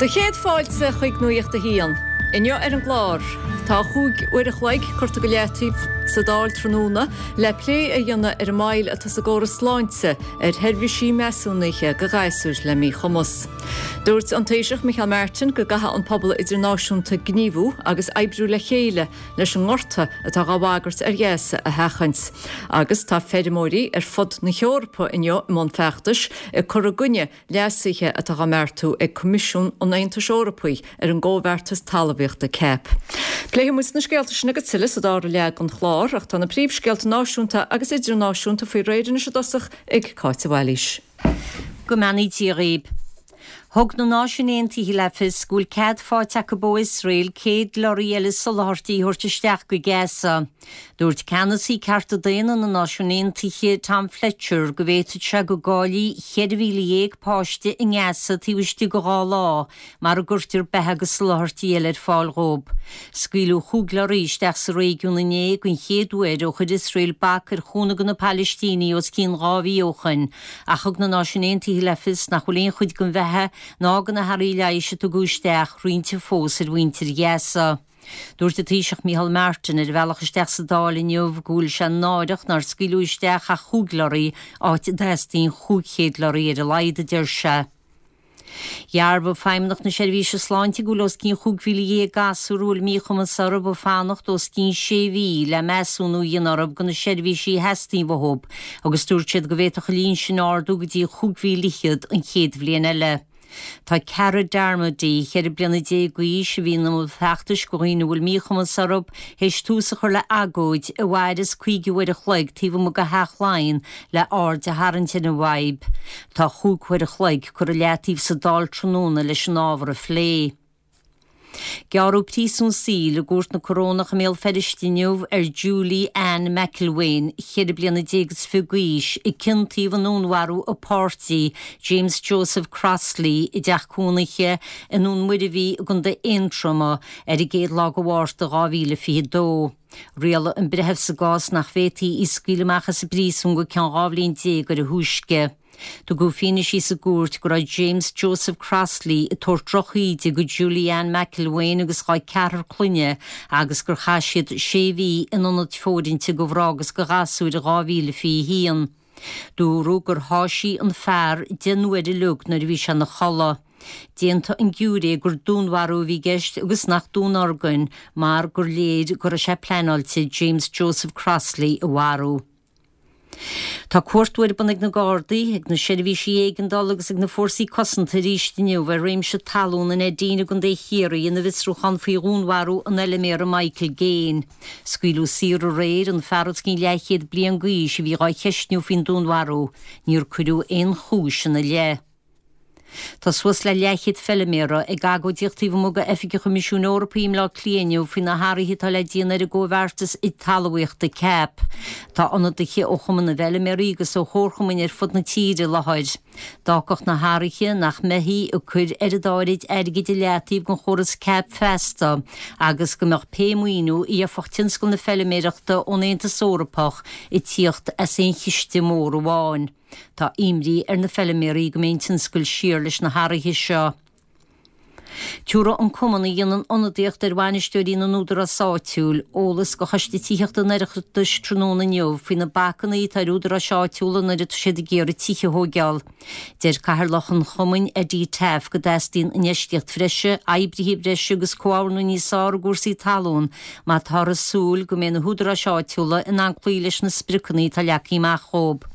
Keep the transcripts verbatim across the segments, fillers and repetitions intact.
Do chéad fáilte chuig Nuacht a hAon. Inniu ar an gclár, tá chúig uair a chloig curtha go leataobh sa Dáil tráthnóna le plé a dhéanamh ar an moill atá sa gcóras sláinte ar sheirbhísí measúnaithe go ghasúir le míchumas. Dúirt an Taoiseach Micheál Martin go gcaithfidh an pobal idirnáisiúnta gníomhú agus oibriú le chéile leis an ngorta atá á bhagairt ar Ghaza a sheachaint. Agus tá feirmeoirí ar fud na hEorpa inniu i mbun feachtais ag cur i gcoinne leasuithe atá á mbeartú ag Coimisiún an Aontais Eorpaigh ar an gcomhbheartas talmhaíochta CAP. Pléifidh muid na scéalta sin agus tuilleadh sa dara leath den chlár ach tá na príomhscéalta náisiúnta agus idirnáisiúnta faoi réir anois i dtosach ag Cáit Bhailís. Go mbeannaí Dia dhaoibh. Thug na Náisiúin Aontaithe le fios go bhfuil cead faighte acu ó Iosrael céad lorry eile soláthairtí a thabhairt isteach go Gaza. Dúirt ceannasaí cearta daonna na Náisiún Aontaithe Tom Fletcher go bhféadfadh sé go gcaillfí ceithre mhíle dhéag páiste i nGaza taobh istigh de dhá lá mura gcuirtear beatha agus soláthairtí eile ar fáil dóibh. Scaoileadh chúig lorraí isteach sa réigiún inné den chéad uair ó chuir Iosrael bac ar chúnamh do na Palaistínigh os cionn dhá mhí ó shin, ach thug na Náisiúin Aontaithe le fios nach bhfuil aon chuid den bheatha ná de na hearraí leighis a tugadh isteach roinnte fós ar mhuintir Ghaza. Dúirt an Taoiseach Micheál Martin ar a bhealach isteach sa Dáil inniu go bhfuil sé náireach nár scaoileadh isteach ach chúig lorraí áit a dteastaíonn chúig chéad lorraí ar a laghad a deir sé. Dhearbhaigh Feidhmeannacht na Seirbhíse Sláinte go bhfuil os cionn chúig mhíle dhéag gasúr a bhfuil míchumas orthu ag fanacht os cionn sé mhí le measúnú a dhéanamh orthu do na seirbhísí a theastaíonn uathu, agus dúirt siad go bhféadfadh an líon sin ardú go dtí chúig mhíle fhichead an chéad bhliain eile. Tá Cara Darmody ceithre bliana déag d'aois a bhí ina mbun feachtais do dhaoine a bhfuil míchumas orthu théis tús a chur le agóid a mhairfeas caoga uair a chloig taobh amuigh de Theach Laighean le aird a tharraingt ar an bhfadhb. Tá chúig uair a chloig curtha leataobh sa Dáil tráthnóna leis an ábhar a phlé. Gearradh príosún saoil i gcúirt na Corónach i mBéal Feirste inniu ar Julie Ann McElwain, ceithre bliana déag is fiche d'aois, a ciontaíodh i ndúnmharú a páirtí James Joseph Crossley i dteach cónaithe i nDún Muirbhí i gContae Aontroma ar an gcéad lá de Mhárta dhá mhíle fiche dó. Rialaigh an breitheamh sa gcás nach bhféadfaí í a scaoileadh amach as an bpríosún go ceann dhá bhliain déag ar a thúisce. Tugadh fianaise sa gcúirt go raibh James Joseph Crossley ag tabhairt drochíde do Julie Ann McElwain agus dá ceathrar clainne agus gur chaith siad sé mhí in ionad fóirithinte do mhná agus do ghasúir i dhá mhíle fiche haon. Dúradh gur sháigh sí an fear deich n-uaire uilig nuair a bhí sé ina chodladh. D'aontaigh an giúiré gur dúnmharú a bhí i gceist agus nach dúnorgain mar gur léir go raibh sé pleanáilte James Joseph Crossley a mharú. Tá cuartú ar bun ag na Gardaí, ag na seirbhísí éigeandála agus ag na fórsaí cosanta arís inniu ar réimse talún in Neidín i gContae Chiarraí ina bhfiosrúchán faoi dhúnmharú an fheilméara Michael Gaine. Scaoileadh saor aréir an fear os cionn leathchéad bliain d'aois a bhí á cheistniú faoin dúnmharú. Níor cuireadh aon chúis ina leith. Tá suas le leathchéad feilméara ag agóidíocht taobh amuigh d'oifig an Choimisiúin Eorpaigh i mBleá Cliath inniu faoi na hathruithe atá le déanamh ar an gcomhbheartas talmhaíochta CAP. Tá ionadaithe ó Chumann na bhFeilméaraí agus ó chomharchumainn ar fud na tíre i láthair. D'fhágfadh na hathruithe nach mbeifí ag cur oiread áirid airgid i leataobh don chóras CAP feasta agus go mbeadh pé maoiniú a gheofadh tionscal na feilméarachta ón Aontas Eorpach ag tíocht as aon chiste mór amháin. Tá imní ar na feilméaraí go mbeidh an tionscal siar leis na hathruithe seo. Tabharfaidh an cumann a dhéanann ionadaíocht ar bhainisteoirí na n-údarás áitiúil eolas do Choiste Tithíochta an Oireachtais tráthnóna inniu faoi na bacanna atá ar údaráis áitiúla nuair atá siad ag iarraidh tithe a thógáil. Deir cathaoirleach an chumainn Eddie Taaffe go dteastaíonn infheistíocht bhreise, oibrithe breise agus comhordú níos fearr i gcúrsaí talún má táthar ag súil go mbeidh na húdaráis áitiúla in ann cloí leis na spriocanna atá leagtha amach dóibh.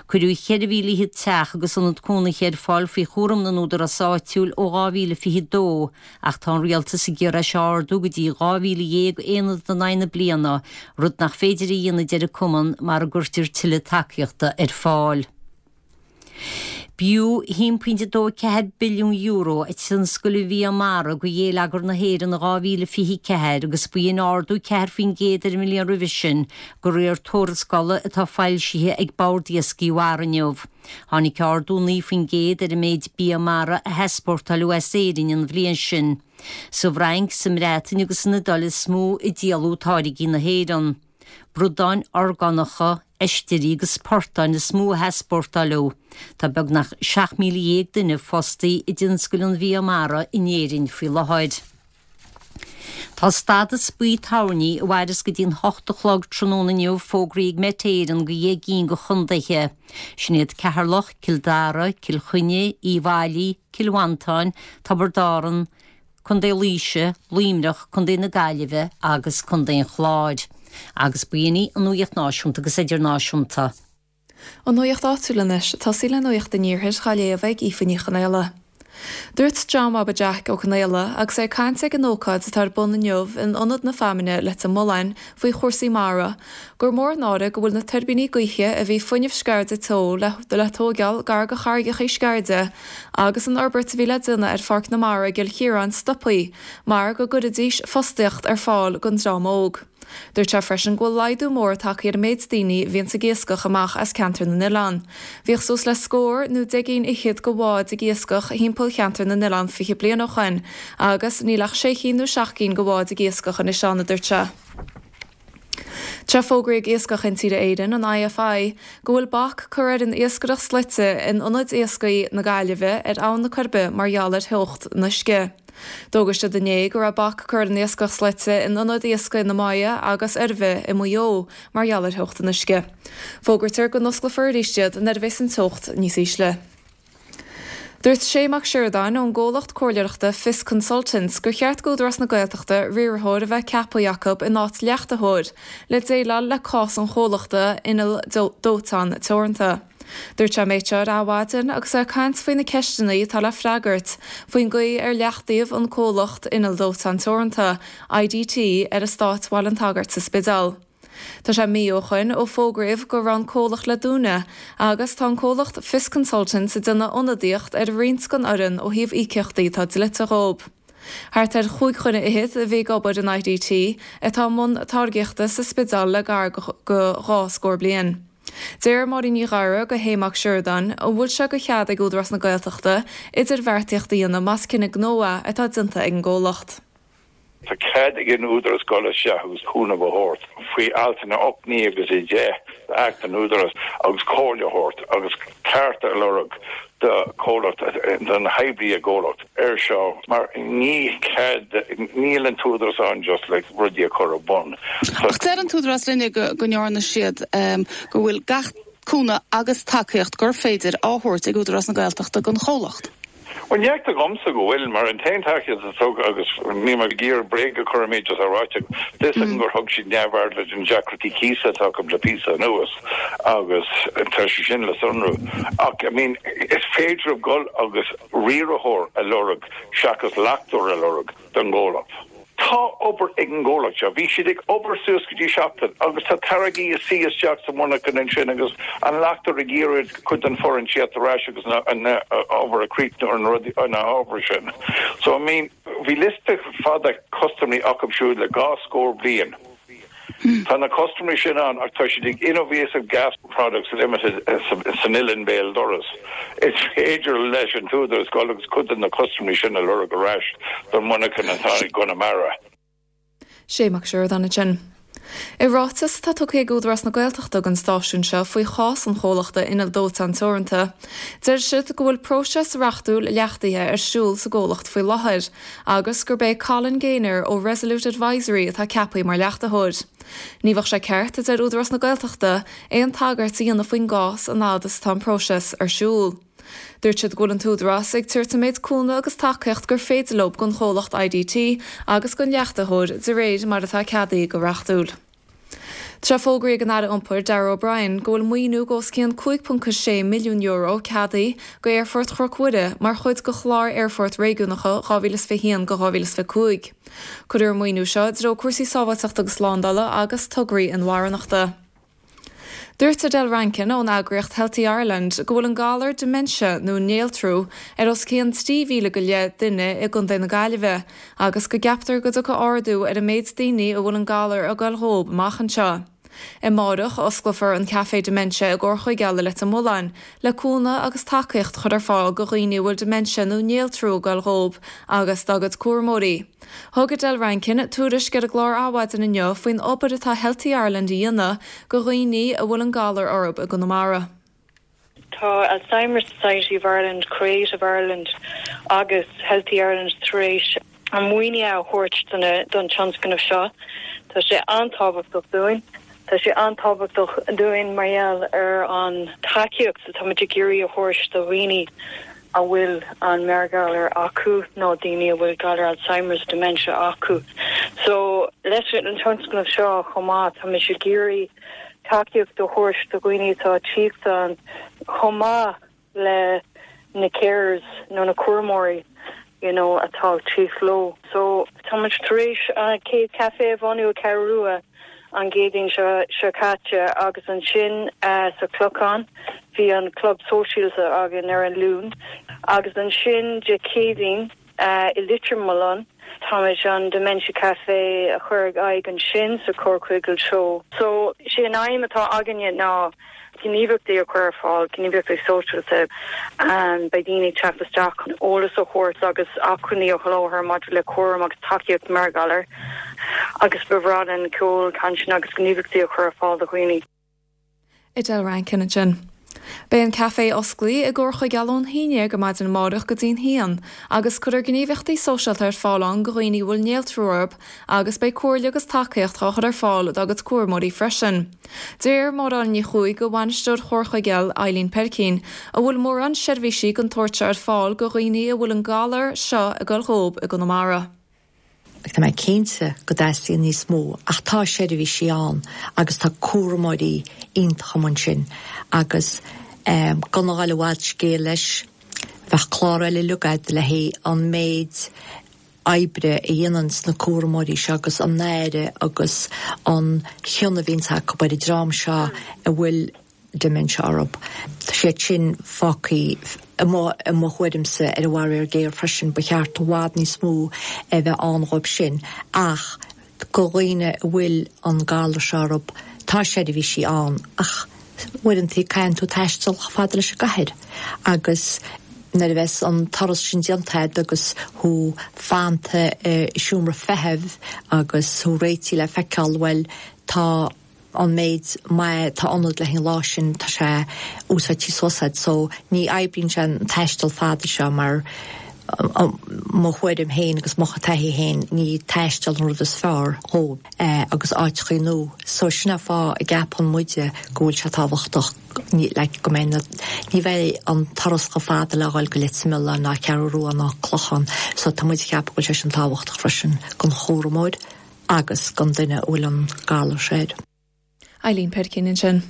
Cuireadh ceithre mhíle fhichead teach agus ionad cónaithe ar fáil faoi chúram na n-údarás áitiúil ó dhá mhíle fiche dó, ach tá an rialtas ag iarraidh é seo a ardú go dtí dhá mhíle dhéag aonad in aghaidh na bliana, rud nach féidir a dhéanamh a deir an cumann mura gcuirtear tuilleadh tacaíochta ar fáil. B'fhiú a haon pointe dó ceathair billiún euro tionscal an bhia mara do gheilleagar na hÉireann in dhá mhíle fiche ceathair agus b'in ardú ceathair faoin gcéad ar an mbliain roimhe sin, de réir tuarascála atá foilsithe ag Bord Iascaigh Mhara inniu. Tháinig ardú naoi faoin gcéad ar an méid bia mara a heaspórtáileadh as Éirinn an bhliain sin. Sa bhFrainc, sa mBreatain agus san Iodáil is mó a díoladh táirgí na hÉireann. Bradáin orgánacha Oistéirí agus portáin is mó a heaspórtáladh. Tá beagnach seacht míle dhéag duine fostaí i dtionscal an bhia mara in Éirinn faoi láthair. Tá stádas buí toirní a mhairfeas go dtí'n hocht a chlog tráthnóna inniu fógraithe ag Met Éireann go dheich gcinn de chontaetha. Sin iad Ceatharlach, Cill Dara, Cill Chainnigh, Uíbh Fhailí, Cill Mhantáin, Tiobraid Árann, Contae Laoise, Luimneach, Contae na Gaillimhe agus Contae an Chláir. Agus b'in í an nuacht náisiúnta agus idirnáisiúnta. An nuacht áitiúil anois, tosaí le nuacht an iarthair á léamh ag Aoife Ní Chonaola. Dúirt John Bhaba Jack Ó Conaola agus é ag caint ag an ócáid atá ar bun inniu in Ionad na Feamainne Leitir Mealláin faoi chúrsaí mara, gur mór an náire go bhfuil na tuirbíní gaoithe a bhí Fuinneamh Sceirde Teo le le tógáil gar do charraigeacha Sceirde agus an fhorbairt a bhí le déanamh ar Pháirc na Mara i gCill Chiaráin stoptha mar go gcuirfidís fostaíocht ar fáil don dream óg. Dúirt sé freisin go bhfuil laghdú mór tagtha ar an méid daoine a bhíonn ag iascach amach as ceantar na n-oileán. Bhíodh suas le scór nó deich gcinn fhichead de bháid ag iascach thimpeall cheantar na n-oileán fiche bliain ó shin, agus níl ach sé cinn nó seacht gcinn de bháid ag iascach anois ann, a dúirt sé. Tá fógraithe ag Iascach Intíre Éireann, an IFI, go bhfuil bac curtha ar an iascaireacht slaite in ionad iascaigh na Gaillimhe ar Abhainn na Coiribe mar gheall ar theocht an uisce. D'fhógair siad inné go raibh bac curtha ar an iascach slaite in ionaid iascaigh na Maighe agus Oirbhe i Maigh Eo mar gheall ar theocht an uisce. Fógraítear go n-osclófar arís iad nuair a bheas an teocht níos ísle. Dúirt Shay Mac Sioradáin ón gcomhlacht comhairleoireachta Fios Consultants gur cheart d'Údarás na Gaeltachta riarthóir a bheith ceaptha acu in áit leachtaitheoir le déileáil le cás an chomhlachta Inneall Dóiteáin Teoranta. Dúirt sé an méid seo ar Adhmhaidin agus é ag caint faoi na ceisteanna atá le freagairt faoin gcaoi ar leachtaíodh an comhlacht Inneall Dóiteáin Teoranta, IDT, ar eastát Bhaile an tSagairt sa Spidéal. Tá sé mí ó shoin ó fógraíodh go raibh an comhlacht le dúnadh agus tá an comhlacht Fios Consultants ag déanamh ionadaíocht ar roinnt den fhoireann ó thaobh íocaíochtaí atá dlite dhóibh. Thart ar chúig dhuine fhichead a bhí ag obair in IDT atá i mbun táirgíochta sa Spidéal le gar go dhá scór bliain. Deir Máirín Ní Ghadhra go Shay Mac Sioradáin an bhfuil sé go chead ag Údarás na Gaeltachta idirbheartaíocht a dhéanamh más cinneadh gnó é atá déanta ag an gcomhlacht. Tá cead ag an Údarás dul isteach agus cúnamh a thabhairt faoi altanna ocht, naoi agus a deich d'Acht an Údarás agus comhairle a thabhairt agus cearta a lorg do chomhlacht, don oibrí i gcomhlacht ar seo mar ní cead, níl an tÚdarás ann just le rudaí a chur ar bun. Ach deir an tÚdarás linne go go ndearna siad go bhfuil gach cúnamh agus tacaíocht gur féidir á thabhairt ag Údarás na Gaeltachta don chomhlacht. Bhuel, ní fheictear dhomsa go bhfuil, mar an t-aon tacaíocht a thug, agus níl mé ag iarraidh bréag a chur ar méid atá ráite agam, tá fhios agam gur thug siad neamhaird leis na deacrachtaí cíosa atá acu le píosa anuas agus tá sé sin le sonrú. Ach, I mean, is féidir leo dul agus riarthóir a lorg seachas leachtóir a lorg don gcomhlacht. Tá obair ag an gcomhlacht seo. Bhí siad ag obair suas go dtí seachtain agus tá táirgí ag suí isteach sa mhonarcha ansin agus an leachtóir ag iarraidh cuid den foireann teacht ar ais agus an obair a chríochnú ar na rudaí, ar na hábhair sin. So, I mean, bhí liosta fada custaiméirí acu siúd le dhá scór bliain. Tá na custaiméirí sin ann ach tá siad ag Innovasive Gas Products Limited san Oileán Béal Dorais. Is féidir leis an t-údarás dul agus cuid de na custaiméirí sin a lorg ar ais don mhonarcha atá i gConamara. Shay Mac Sioradáin ansin. I ráiteas atá tugtha ag Údarás na Gaeltachta don stáisiún seo faoi chás an chomhlachta Inneall Dóiteáin Teoranta, deir siad go bhfuil próiseas reachtúil leachtaithe ar siúl sa gcomhlacht faoi láthair agus gurb é Colin Gaynor ó Resolute Advisory atá ceaptha mar leachtaitheoir. Ní bheadh sé ceart, a deir Údarás na Gaeltachta, aon tagairt a dhéanamh faoin gcás an fhad is atá an próiseas ar siúl. Dúirt siad go bhfuil an t-údarás ag tabhairt an méid cúnamh agus tacaíocht gur féidir leo don chomhlacht IDT agus don leachtaitheoir de réir mar atá ceadaithe go reachtúil. Tá fógraithe ag an Aire Iompair Darragh O'Brien go bhfuil maoiniú os cionn cúig ponc sé milliún euro ceadaithe go Aerfort Chnoc Mhuire mar chuid de chlár Aerfort Réigiúnacha dhá mhíle is fiche haon go dhá mhíle is fiche cúig. Cuirfear an maoiniú seo i dtreo cúrsaí sábháilteachta agus slándála agus tograí inmharthanachta. Dúirt Adele Rankin ón eagraíocht Healthy Ireland go bhfuil an galar dementia nó néaltrú ar os cionn trí mhíle go leith duine i gContae na Gaillimhe agus go gceaptar go dtiocfaidh ardú ar an méid daoine a bhfuil an galar ag goil dhóibh amach anseo. Amárach osclófar an Café Dementia i gComhar Chuigéal i Leitir Mealláin, le cúnamh agus tacaíocht a chur ar fáil do dhaoine a bhfuil dementia nó néaltrú ag gabháil dhóibh agus dá gcuid cúramóirí. Thug Edel Rankin tuairisc ar an gclár Adhmhaidin inniu faoin obair atá Healthy Ireland a dhéanamh do dhaoine a bhfuil an galar orthu i gConamara. Tá Alzheimer's Society of Ireland, Creative Ireland agus Healthy Ireland tar éis an maoiniú a thabhairt don tionscnamh seo. Tá sé an-tábhachtach dúinn. Tá sé an-tábhachtach dúinn mar gheall ar an tacaíocht atáimid ag iarraidh a thabhairt do dhaoine a bhfuil an meabhairghalar acu nó daoine a bhfuil galar Alzheimer's dementia acu. So leis an tionscnamh seo chomh maith táimid ag iarraidh tacaíocht a thabhairt do dhaoine atá tíocht an chomh maith le na carers nó na cúramóirí you know, atá tíocht leo. So táimid tar éis an chéad café a bhunú i Ceathrú Rua an Chéadaoin seo seo caite agus ansin uh, sa Clochán bhí an club sóisialta againn ar an Luan agus ansin Dé Céadaoin uh, i Leitir Mealláin táimid an Dementia Café a chur ag aghaidh ansin sa Chomhar Coigil. So sé an aidhm atá againne ná gníomhaíochtaí a chur ar fáil gníomhaíochtaí sóisialta um, beidh daoine teacht isteach eolas a thabhairt agus acmhainní a sholáthar maidir le cúram agus tacaíocht meabhairghalair agus ba bhreá linn ceol cainteanna agus gníomhaíochtaí a chur ar fáil do dhaoine. Edel Rankin ansin. Beidh an café oscailte i gComhar Chuigéal ón haon déag ar maidin amárach go dtí'n haon, agus cuirfear gníomhaíochtaí sóisialta ar fáil ann do dhaoine a bhfuil néaltrú orthu agus beidh comhairle agus tacaíocht á chur ar fáil dá gcuid cúramóirí freisin. Deir Máire Ní Chuaig ó bhainisteoir Chomhar Chuigéal Eileen Perkin, a bhfuil mórán seirbhísí den tsórt seo ar fáil do dhaoine a bhfuil an galar seo ag gabháil dhóibh i gConamara. Tá mé cinnte go dteastaíonn níos mó ach tá seirbhísí ann agus tá cúramóirí iontacha ansin agus um, gan a ghabháil i bhfad scéil leis bheadh clár eile agad le hé an méid oibre a dhéanann na cúramóirí seo agus an aire agus an cion a bhíonn acu ar an dream seo a bhfuil dementia orthu. Tá sé sin fágtha i mo thuairimse ar an bhfaraor géar freisin ba cheart i bhfad níos mó a bheith ann dhóibh sin ach do dhaoine a bhfuil an galar seo orthu tá seirbhísí ann ach uaireanta caithfidh tú taisteal fada leis an gcathair agus nuair a bheas an turas sin déanta agus thú fanta i seomra feithimh agus thú réitithe le feiceáil bhfuil tá an méid má tá ionad le an lá sin tá sé úsáidte suas so ní oibríonn sé an taisteal fada seo mar mo thuairim féin agus mo thaithí féin ní taisteal an rud is fearr dhó agus áiteacha nua so sin an fáth a gceapann muide go bhfuil sé tábhachtach le go mbeidh ní bheidh an turas chomh fada le dhul go Leitir Mealláin ná Ceathrú Rua ná Clochán so tá muid ag ceapadh go bhfuil sé sin tábhachtach freisin don chúramóir agus don duine a bhfuil an galar air. Eileen Perkin ansin.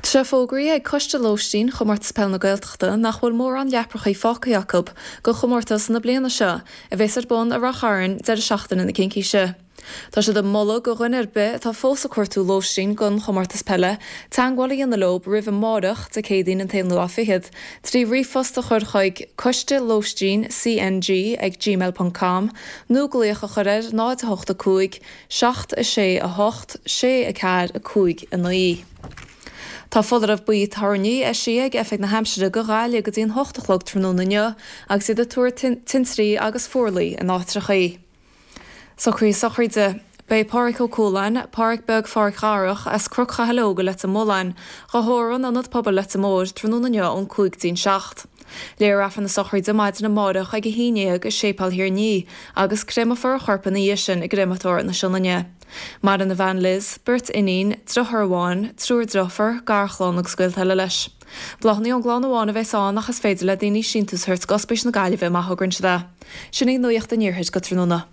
Tá sé fógraithe ag Coiste Lóistín Chomórtas Peile na Gaeltachta nach bhfuil mórán leaprachaí fágtha acu do chomórtas na bliana seo a bheas ar bun i Ráth Chairn deireadh seachtaine na Cincíse. Tá siad ag moladh do dhuine ar bith atá fós ag cuartú lóistín don chomórtas peile, teagmháil a dhéanamh leo roimh amárach Dé Céadaoin an t-aonú lá fichead, trí ríomhphost a chur chuig coiste lóistín CNG ag gmail.com nó glaoch a chur ar náid a hocht a cúig, seacht a sé a hocht, sé a ceathair a cúig a naoi. Tá foláireamh buí toirní eisithe ag Oifig na hAimsire do Ghaillimh go dtí an hocht a chlog tráthnóna inniu agus iad ag tuar tintrí agus fuarlaigh in áiteachaí. Socruithe sochraide. Beidh Pádraig Ó Cualáin, Pádraig Beag Phádraic Dharach as Cnoc Chathail Óg i Leitir Mealláin, á thórramh in Ionad Pobail Leitir Móir tráthnóna inniu ón cúig dtí'n seacht. Léifear Aifreann na sochraide maidin amárach ag a haon déag i Séipéal Thír an Fhia agus créamfar a chorp ina dhiaidh sin i gcréamatóir na Sionainne. Maireann a bhean Liz, beirt iníon, deartháir amháin, triúr deirfiúr, garchlann agus gaolta eile leis. Bláthanna ón gclann amháin a bheas ann ach is féidir le daoine síntiús a thabhairt d'Ospís na Gaillimhe má thograíonn siad é. Sin í nuacht an iarthair go tráthnóna.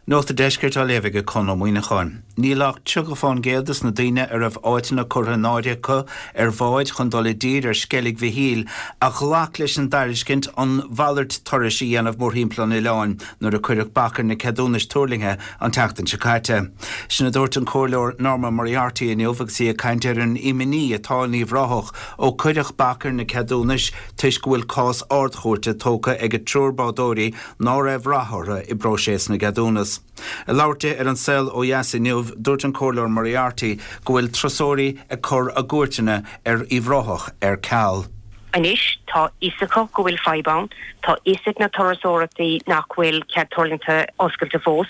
Nuacht an Deiscirt á léamh ag Conn Ó Muíneacháin. Níl ach tríocha faoin gcéad des na daoine a raibh áiteanna curtha in áirithe acu ar bháid chun dul i dtír ar Sceilg Mhichíl a ghlac leis an dtairiscint an mhalairt turais a dhéanamh mórthimpeall an oileáin nuair a cuireadh bac ar na ceadúnais tuirlingthe an tseachtain seo caite. Sin a dúirt an Comhairleoir Norma Moriarty inniu agus í ag caint ar an imní atá in Uíbh Ráthach ó cuireadh bac ar na ceadúnais toisc go bhfuil cás ardchúirte tógtha ag triúr bádóirí ná raibh rath orthu i bpróiseas na gceadúnas. anuas. Ag labhairt di ar An Saol Ó Dheas inniu, dúirt an Comhairleoir Moriarty go bhfuil turasóirí ag cur a gcuairteanna ar Uíbh Ráthach ar ceal. Anois tá fhios acu go bhfuil fadhb ann, tá fhios ag na turasóireachtaí nach bhfuil cead tuirlingte oscailte fós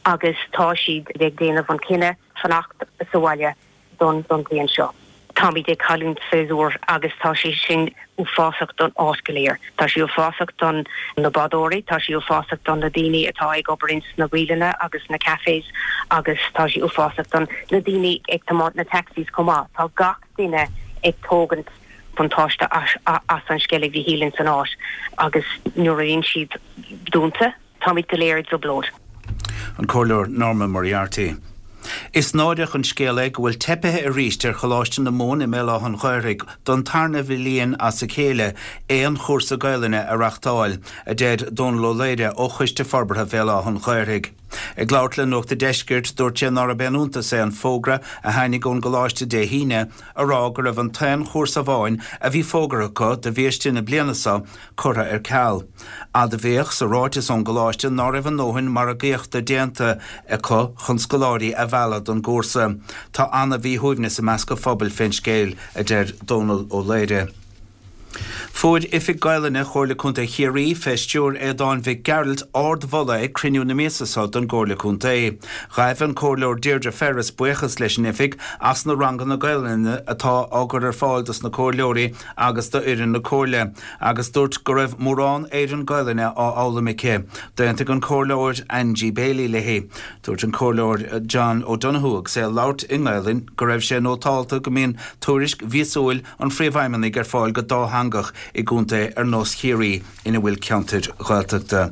agus tá siad ag déanamh an cinneadh fanacht sa bhaile don don bhliain seo. Táimid ag cailliúint séasúr agus tá sé sin uafásach don áit go léir. Tá sé uafásach don na bádóirí, tá sé uafásach don na daoine atá ag obair ins na bialanna agus na cafés agus tá sé uafásach don na daoine ag tiomáint na taxis chomh maith. Tá gach duine ag tógaint buntáiste as, as an Sceilg Mhichíl ins an áit agus nuair a bhíonn siad dúnta, táimid go léir i dtrioblóid. An Comhairleoir Norma Moriarty. Is náireach an scéal é go bhfuil teipithe arís ar Choláiste na Mumhan i mBéal Átha an Ghaorthaidh don tarna bhliain as a chéile aon chúrsa Gaelainne a reachtáil, a deir Dónal Ó Laoire ó Choiste Forbartha Bhéal Átha an Ghaorthaidh. Ag labhairt le Nuacht an Deiscirt, dúirt sé nárab aon iontas é an fógra a tháinig ón gcoláiste Dé hAoine a rá go raibh an t-aon chúrsa amháin a bhí fógartha acu do bhiaiste na bliana seo curtha ar ceal. Admhaíodh sa ráiteas ón gcoláiste ná raibh a ndóthain margaíochta déanta acu chun scoláirí a mhealladh don gcúrsa. Tá an-mhíshuaimhneas i measc an phobail fén scéal, a deir Dónal Ó Laoire. Fuair Oifig Gaelainne Chomhairle Contae Chiarraí fé stiúir Aodáin Mhic Gearailt ardmholadh ag cruinniú na míosa seo den gComhairle Contae. Ghaibh an Comhairleoir Deirdre Ferris buíochas leis an oifig as na ranganna Gaelainne atá á gcur ar fáil dos na comhairleoirí agus d'fhoireann na Comhairle, agus dúirt go raibh mórán Éireann Gaelainne á fhoghlaim aici. D'aontaigh an Comhairleoir Angie Bailey léi. Dúirt an Comhairleoir John O'Donoghue agus é ag labhairt i nGaelainn go raibh sé nótálta go mbíonn tuairisc mhíosúil an Phríomhfheidhmeannaigh ar fáil go dátheangach i gcontae ar nós Chiarraí ina bhfuil ceantair Ghaeltachta.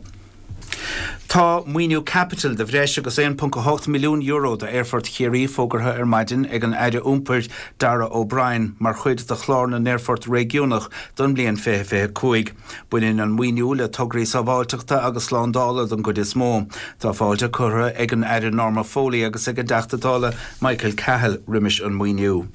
Tá maoiniú caipitil de bhreis agus aon ponc a hocht milliún euro d'Aerfort Chiarraí fógartha ar maidin ag an Aire Iompair Darragh O'Brien mar chuid de chlár na n-aerfort réigiúnach don mbliain fiche fiche cúig. Baineann an maoiniú le tograí sábháilteachta agus slándála don gcuid is mó. Tá fáilte curtha ag an Aire Norma Foley agus ag an dTeachta Dála Michael Cahill roimis an maoiniú.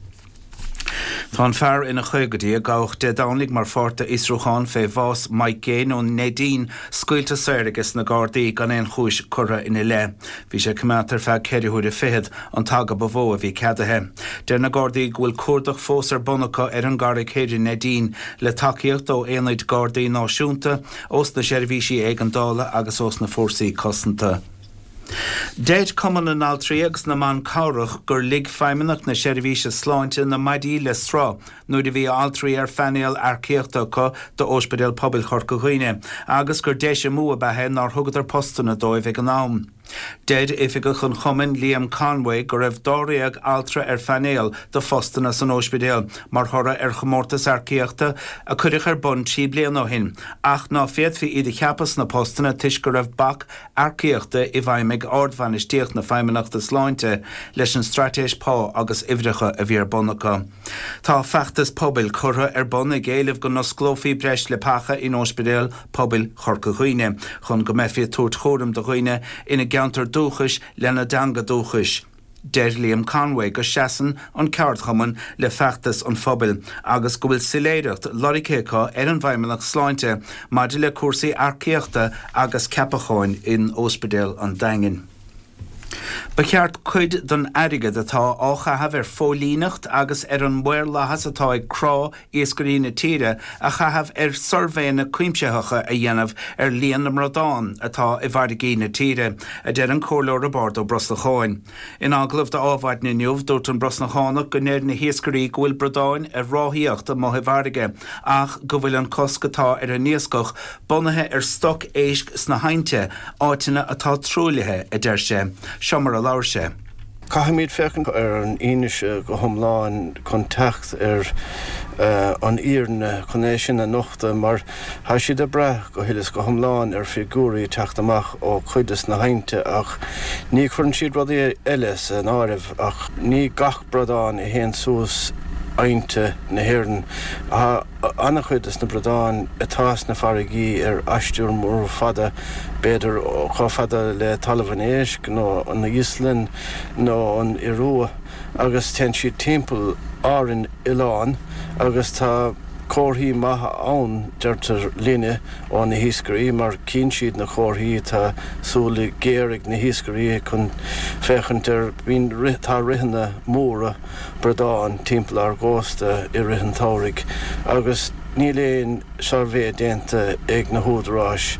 Tá an fear ina chaogaidí a gabhadh Dé Domhnaigh mar pháirt d'fhiosrúchán fé bhás Mike Gane ón Neidín scaoilte saor ages na Gardaí gan aon chúis curtha ina leith. Bhí sé coimeádta ar feadh ceithre huaire fichead, an t-aga ba mhó a bhí ceadaithe. Deir na Gardaí go bhfuil cuardach fós ar bun acu ar an gCarraig Thoir i Neidín le tacaíocht ó aonaid Gardaí náisiúnta, ós na seirbhísí éigeandála agus ós na fórsaí cosanta. Deir Cumann na nAltraí agus na mBan Cabhrach gur lig Feidhmeannacht na Seirbhíse Sláinte na maidí le sruth nuair a bhí altraí ar phainéal earcaíochta acu d'Ospidéal Pobail Chorca Dhuibhne agus gur deis amú ab ea é nár thugadar postanna dóibh ag an am. Deir oifigeach an chumainn Liam Conway go raibh dáréag altra ar phainéal do phostanna san ospidéal mar thoradh ar chomórtas earcaíochta a cuireadh ar bun trí bliana ó shin ach ná féadfaí iad a cheapadh sna postanna toisc go raibh bac earcaíochta i bhfeidhm ag ardbhainistíocht na Feidhmeannachta Sláinte leis an straitéis pá agus uimhreacha a bhí ar bun acu. Tá feachtas pobail curtha ar bun ag éileamh go n-osclófaí breis leapacha in Ospidéal Pobail Chorca Dhuibhne chun go mbeifí ag tabhairt chúram do dhaoine ina gceantar dúchais lena dteanga dúchais. Deir Liam Conway go seasann an ceardchumann le feachtas an phobail agus go bhfuil soiléireacht lorgtha acu ar an bhFeidhmeannacht Sláinte maidir le cúrsaí earcaíochta agus ceapacháin in Ospidéal an Daingin. Ba cheart cuid den airgead atá á chaitheamh ar phóilíneacht agus ar an maorlathas atá ag crá iascairí na tíre a chaitheamh ar suirbhéanna cuimsitheacha a dhéanamh ar líon na mbradán atá i bhfarraigí na tíre, a deir an Comhairleoir Roibeárd Ó Brosnacháin. In agallamh d'Adhmhaidin inniu, dúirt an Brosnachánach go ndeir na hiascairí go bhfuil bradáin ar ráthaíocht amuigh i bhfarraige ach go bhfuil an cosc atá ar an iascach bunaithe ar stoc éisc sna haibhnte, áiteanna atá truaillithe, a deir sé. Seo mar a labhair sé. Caithfimid féachaint ar an fhianaise go hiomlán chun teacht ar an fhírinne, chun é sin a nochtadh, mar tá siad ag brath go huile is go hiomlán ar figiúirí ag teacht amach ó chuid des na haibhnte ach ní chuireann siad rudaí eile san áireamh ach ní gach bradán a théann suas aibhnte na hÉireann. Tá an-chuid des na bradáin atá sna farraigí ar aistear mór fada, b'fhéidir chomh fada le Talamh an Éisc nó an Íoslainn nó an Iorua agus téann siad timpeall Árainn oileán agus tá comharthaí maithe ann, deirtear linne ó na hiascairí, mar cíonn siad na comharthaí, tá súile géar ag na hiascairí chun féachaint ar, bíonn, tá ritheanna móra bradán timpeall ár gcósta i rith an tsamhraidh agus níl aon suirbhé déanta ag na húdaráis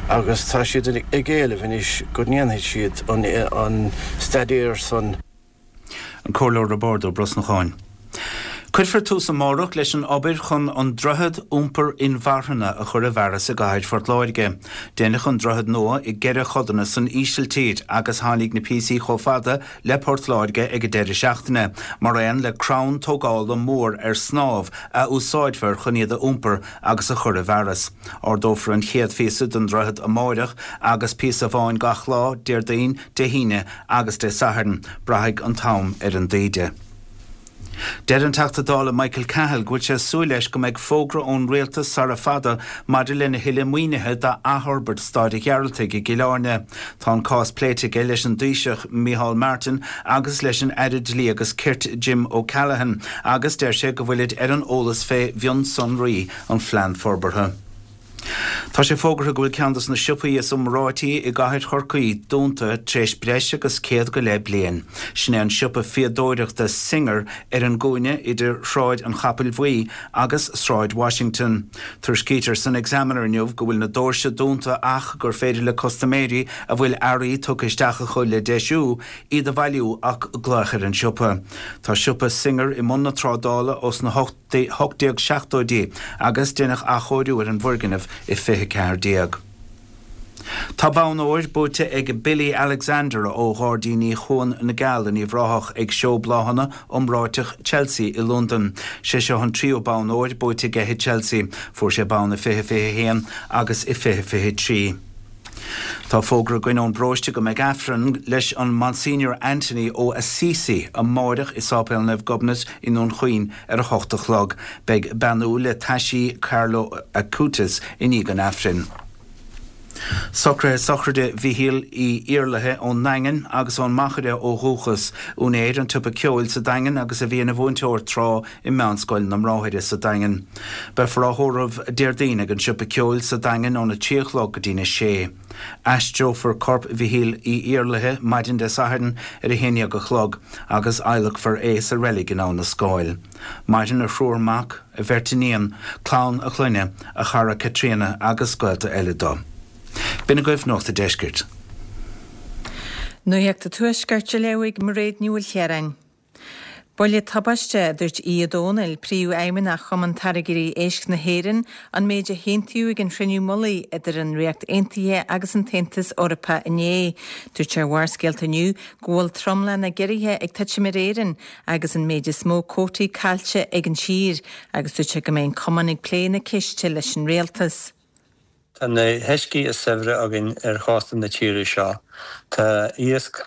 agus tá siad ag éileamh anois go ndéanfaidh siad an staidéar san. An Comhairleoir Roibeárd Ó Brosnacháin. Cuirfear tús amárach leis an obair chun an droichead iompair inmharthana a chur i bhfearas i gcathair Phort Láirge. Deineadh an droichead nua i gceithre chodanna san Ísiltír agus tháinig na píosaí chomh fada le Port Láirge ag an deireadh seachtaine, mar aon le crann tógála mór ar snámh a úsáidfear chun iad a iompar agus a chur i bhfearas. Ardófar an chéad phíosa den droichead amáireach agus píosa amháin gach lá, Déardaoin, Dé hAoine agus Dé Sathairn. Braithfidh an t-am ar an dtaoide. Deir an Teachta Dála Michael Cahill go bhfuil sé ag súil leis go mbeidh fógra ón Rialtas sara fada maidir lena thuilleadh maoinithe d'athfhorbairt Staid an Ghearaltaigh i gCill Airne. Tá an cás pléite aige leis an dTaoiseach Micheál Martin agus leis an Aire Dlí agus Cirt Jim O'Callaghan agus deir sé go bhfuilid ar an eolas fé mhionsonraí an phlean forbartha. Tá sé fógartha go bhfuil ceann dos na siopaí is iomráití i gcathair Chorcaí dúnta tar éis breis agus céad go leith bliain. Sin é an siopa fíodóireachta Singer ar an gcúinne idir Shráid an Chapaill Bhuí agus Sráid Washington. Tuairiscítear san Examiner inniu go bhfuil na doirse dúnta ach gur féidir le custaiméirí a bhfuil earraí tugtha isteach acu le deisiú, iad a bhailiú ach glaoch ar an siopa. Tá siopa Singer i mbun na trádála ós na hocht déag seachtóidí agus deineadh athchóiriú ar an bhfoirgneamh i fiche ceathair déag. Tá bonn óir buaite ag Billy Alexander ó Ghairdíní Chuan na gCeall in Uíbh Ráthach ag Seó Bláthanna iomráiteach Chelsea i Londain. Sé seo an tríú bonn óir buaite aige i Chelsea. Fuair sé bonn i fiche fiche haon agus i fiche fiche trí. Tá fógra againn ón bparóiste go mbeidh Aifreann leis an Monsignor Anthony ó Assisi amáireach i Sáipéal Naomh Gobnait i nDún Chaoin ar a hocht a chlog. Beidh beannú le taisí Carlo Acutis i ndiaidh an Aifrinn. Socruithe sochraide Mhichíl Uí Iarlaithe ón nDaingean agus ón Machaire ó dhúchas, úinéir an tsiopa ceoil sa Daingean agus a bhí ina mhúinteoir tráth i Meánscoil na mBráithre sa Daingean. Beifear á thórramh Déardaoin ag an Siopa Ceoil sa Daingean óna trí a chlog go dtína sé. Aistreofar corp Mhichíl Uí Iarlaithe maidin Dé Sathairn ar a haon dhéag a chlog agus adhlacfar é sa reilig in Abha na Scáil. Maireann a thriúr mac, a bheirt iníon, clann a chlainne, a chara Caitríona agus gaolta eile dó. B'in agaibh Nuacht a' Deiscirt. Nuacht a' Tuaiscirt á léamh ag Mairéad Ní Mhaoilchiaráin. Buille tubaiste, a dúirt Aodh Ó Domhnaill, Príomhfheidhmeannach Chumann Táirgeoirí Éisc na hÉireann, an méid a haontaíodh ag an chruinniú mullaigh idir an Ríocht Aontaithe agus an tAontas Eorpach inné. Dúirt sé ar Bharrscéalta inniu go bhfuil tromlach na gciorruithe ag titim ar Éirinn agus an méid is mó cuótaí caillte ag an tír agus dúirt sé go mbeidh an cumann ag plé na ceiste leis an rialtas. Tá na huiscí is saibhre againn ar chósta na tíre seo. Tá iasc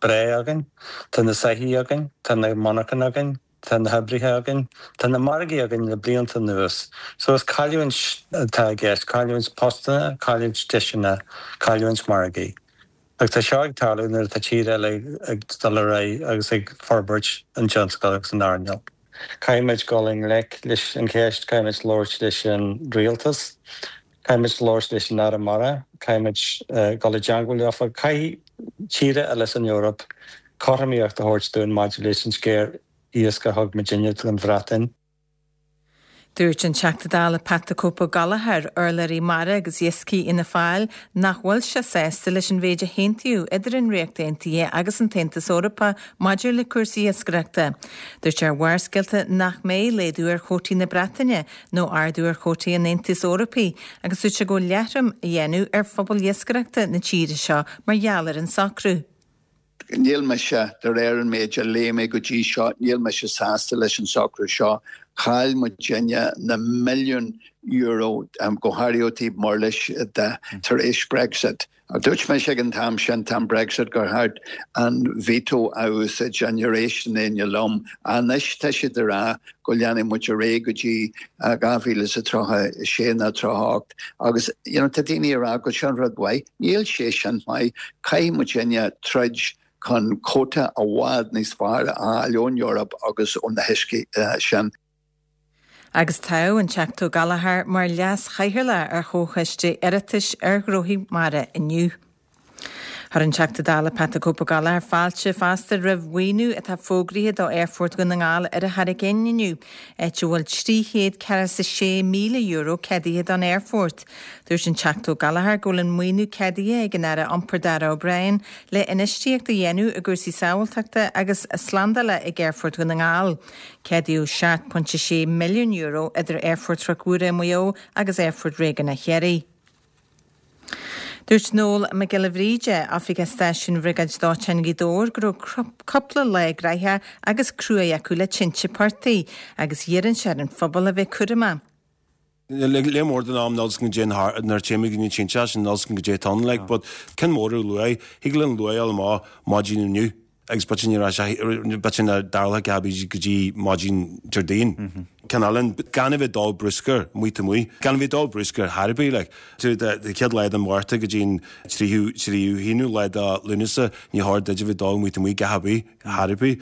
breá againn, tá na soithí againn, tá na monarchana againn, tá na hoibrithe againn, tá na margaí againn le blianta anuas. So is cailliúint atá i gceist, cailliúint postanna, cailliúint deiseanna, cailliúint margaí. Ach tá seo ag tarlú nuair atá tír eile ag dul ar aghaidh agus ag forbairt an tionscail agus an earnáil. Caithfimid dul i ngleic leis an cheist, caithfimid labhairt leis an rialtas, caithfimid labhairt leis an Aire Mara, caithfimid dul i dteangmháil leofa, caithfidh tíortha eile san Eoraip cothromaíocht a thabhairt dúinn maidir leis an sciar iasc a thug muidinne don Bhreatain. Dúirt an Teachta Dála Pat the Cope Gallagher, urlabhraí mara agus iascaigh Fhianna Fáil, nach bhfuil sé sásta leis an mhéid a haontaíodh idir an Ríocht Aontaithe agus an tAontas Eorpach maidir le cúrsaí iascaireachta. Dúirt sé ar Bharrscéalta nach mbeidh laghdú ar chuótaí na Breataine nó ardú ar chuótaí an Aontais Eorpaigh agus dúirt sé go bhfuil leathrom á dhéanamh ar phobal iascaireachta na tíre seo mar gheall ar an socrú. Níl mise, de réir an méid a léigh mé go dtí seo, níl mise sásta leis an socrú seo. Chaill muidinne na milliúin euro, go háirithe ó thaobh murlais de, tar éis Brexit. Dúirt mise ag an t-am sin, t-am Brexit, gur cheart an veto a úsáid, and níor éist aon duine liom. Anois tá siad ag rá go leanfaidh muid ar aghaidh go dtí dhá mhíle is a tríocha a sé nó tríocha a hocht agus you know tá daoine ag rá go sin rud mhaith. Níl sé sin maith. Caithfidh muidinne troid chun cuóta i bhfad níos fearr a fháil ón Eoraip agus ó na huiscí sin. Agus toghadh an Teachta Ó Gallchóir mar leas-chathaoirleach ar Chomhchoiste Oireachtais ar Ghnóthaí Mara inniu. Chuir an Teachta Dála Pat the Cope Ó Gallchóir fáilte fosta roimh mhaoiniú atá fógraithe do Aerfort Dhún na nGall ar an Charraig Fhinn inniu, áit a bhfuil trí chéad ceathracha is a sé míle euro ceadaithe don aerfort. Dúirt an Teachta Ó Gallchóir go bhfuil an maoiniú ceadaithe ag an Aire Iompair Darragh O'Brien le infheistíocht a dhéanamh i gcúrsaí sábháilteachta agus slándála ag Aerfort Dhún na nGall. Ceadaíodh seacht pointe sé milliún euro idir Aerfort Chnoc Mhuire i Maigh Eo agus Aerfort Réigiúnach Chiarraí. Dúirt Noel Mac Giolla Bhríde, Oifigeach Stáisiúin Bhriogáid Dóiteáin Ghaoth Dobhair, go raibh cúpla lá graitheach agus cruaidh acu le tinte portaigh agus iarrann sé ar an phobal a bheith cúramach. Lear mór den am níl 's agam goidé nuair a téimid go dtí na tinte sin níl 's agam goidé atá ann like but ceann mór ar luaith thig linn luaith a fháil amach maidin inniu agus b'fhéidir ní raibh sé b'fhéidir nach dtarlódh sé go dtí maidin Déardaoin. Ceann eile gan a bheith ag dó bruscair amuigh taobh amuigh gan a bheith ag dó bruscair thar ar bith like tú de chéad lá den Mhárta go dtí an tríú tríú haonú lá de Lúnasa ní chóir duit a bheith ag dó amuigh taobh amuigh gach ar bith thar ar bith.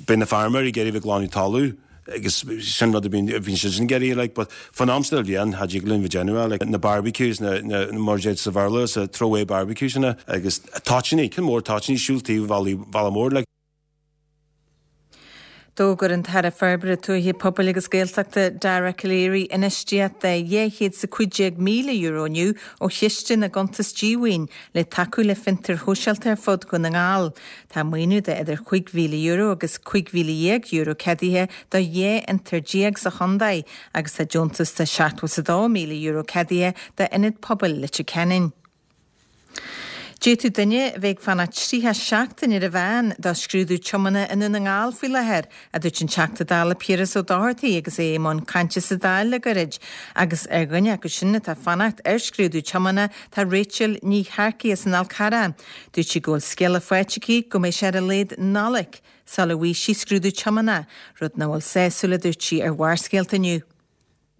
Beidh na feirmeoirí ag iarraidh a bheith ag glanadh talamh agus sin rud a bhíonn bhíonn siad sin ag iarraidh like but fan am sa bhliain cha dtig linn bheith déanamh é like na barbecues na na mar a deir sa Bhéarla sa throwaway barbecues sin agus toitíní ceann mór toitíní siúl taobh bhealaí bhealach mór like. D'fhógair an tAire Forbartha Tuaithe Pobail agus Gaeltachta Dara Calleary infheistíocht de dhá chéad is a cúig déag míle euro inniu ó Chiste na gCuntas Díomhaoin le tacú le fiontair shóisialta ar fud Dhún na nGall. Tá maoiniú de idir chúig mhíle euro agus cúig mhíle dhéag euro ceadaithe do dhá fhiontar déag sa chontae agus tá deontas de seachtó is a dó míle euro ceadaithe d'Ionad Pobail Leitir Ceanainn. D'fhéadfadh duine a bheith ag fanacht tríocha seachtain ar an mheán do scrúdú tiomána i nDún na nGall faoi láthair, a dúirt an Teachta Dála Piaras Ó Dochartaigh agus é i mbun cainte sa Dáil le gairid. Agus ar dhuine acu sin atá ag fanacht ar scrúdú tiomána tá Rachel Ní Shearcaigh as an Fhál Carrach. Dúirt sí go bhfuil scéala faighte aici go mbeidh sé ar a laghad Nollaig sula bhfaighidh sí scrúdú tiomána, rud nach bhfuil sásúil a dúirt sí ar Bharrscéalta inniu.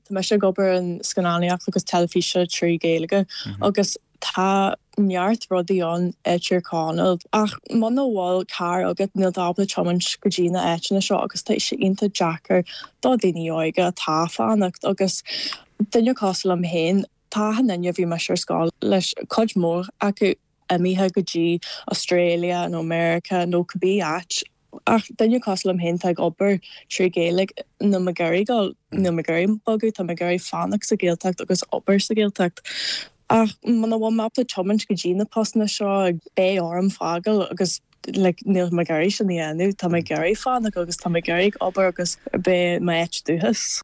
Tá mise ag obair in scannánaíocht agus teilifíse trí Ghaeilge agus tá neart rudaí ann i Tír Chonaill ach muna bhfuil carr agat níl tú ábalta tiomáint go dtí na áiteanna seo agus tá sé iontach deacair do daoine óga atá ag fanacht agus duine cosúil liom féin tá achan duine a bhí mise ar scoil leis cuid mhór acu imithe go dtí Australia nó America nó cibé áit ach duine cosúil liom féin atá ag obair trí Ghaeilge níl mé ag iarraidh dul níl mé ag iarraidh bogadh tá mé ag iarraidh fanacht sa Ghaeltacht agus obair sa Ghaeltacht ach muna bhfuil mé ábalta tiomáint go dtí na postanna seo beidh orm fágáil agus like níl mé ag iarraidh sin a dhéanamh tá mé ag iarraidh fanacht agus tá mé ag iarraidh obair agus beidh m'áit dúchais.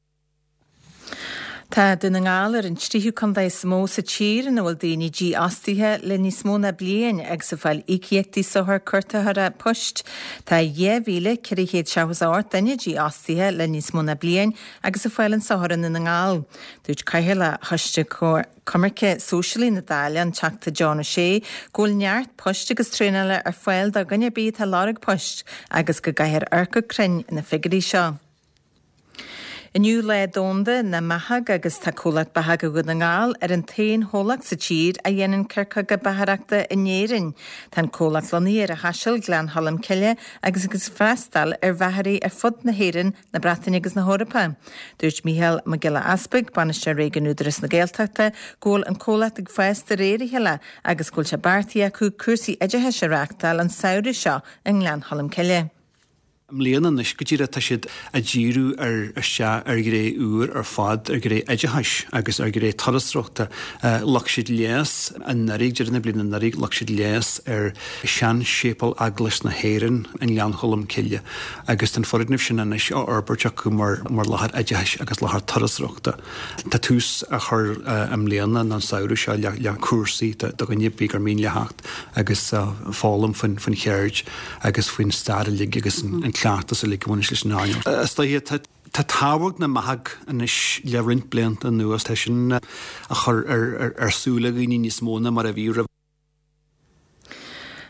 Tá Dún na nGall ar an tríú contae is mó sa tír ina bhfuil daoine dífhostaithe le níos mó ná bliain agus ag fáil íocaíochtaí sochair cuartaitheora poist. Tá dhá mhíle ceithre chéad seachtó is a hocht duine dífhostaithe le níos mó ná bliain agus ag fáil an sochar i nDún na nGall. Dúirt Cathaoirleach Choiste Coimirce Sóisialaí na Dála, an Teachta John O'Shea, go bhfuil neart poist agus traenála ar fáil do dhuine ar bith atá ag lorg poist agus go gcaithfear amharc go cruinn ar na figiúirí seo. Inniu Lá Domhanda na mBeathach agus tá Comhlacht Beathach Dhún na nGall ar an t-aon chomhlacht sa tír a dhéanann coirceoga beachaireachta in Éirinn. Tá an comhlacht lonnaithe ar an Chaiseal, Gleann Cholm Cille agus ag freastal ar bheachairí ar fud na hÉireann, na Breataine agus na hEorpa. Dúirt Mícheál Mac Giolla Easpaig, Bainisteoir Réigiúin Údarás na Gaeltachta, go bhfuil an comhlacht ag fás de réir a chéile agus go bhfuil sé beartaithe acu cúrsaí oideachais a reáchtáil an samhradh seo i nGleann Cholm Cille. I mbliana anois go díreach tá siad ag díriú ar isteach ar ghné úr ar fad, ar ghné oideachais agus ar ghné turasóireachta. Ghlac siad léas anuraidh, deireadh na bliana anuraidh, ghlac siad léas ar sean-séipéal Eaglais na hÉireann i nGleann Cholm Cille agus tá an foirgneamh sin anois á fhorbairt acu mar mar láthair oideachais agus láthair turasóireachta. Tá tús á chur i mbliana nó an samhradh seo le le cúrsaí do dhuine ar bith gur mian leo theacht agus foghlaim faoin faoin cheird agus faoin stair uilig agus an cleachtas uilig a bhaineas leis an earnáil. Is dóiche tá tá tábhacht na mbeathach anois le roinnt blianta anuas, tá sin á chur ar ar ar súile dhaoine níos mó ná mar a bhí roimh.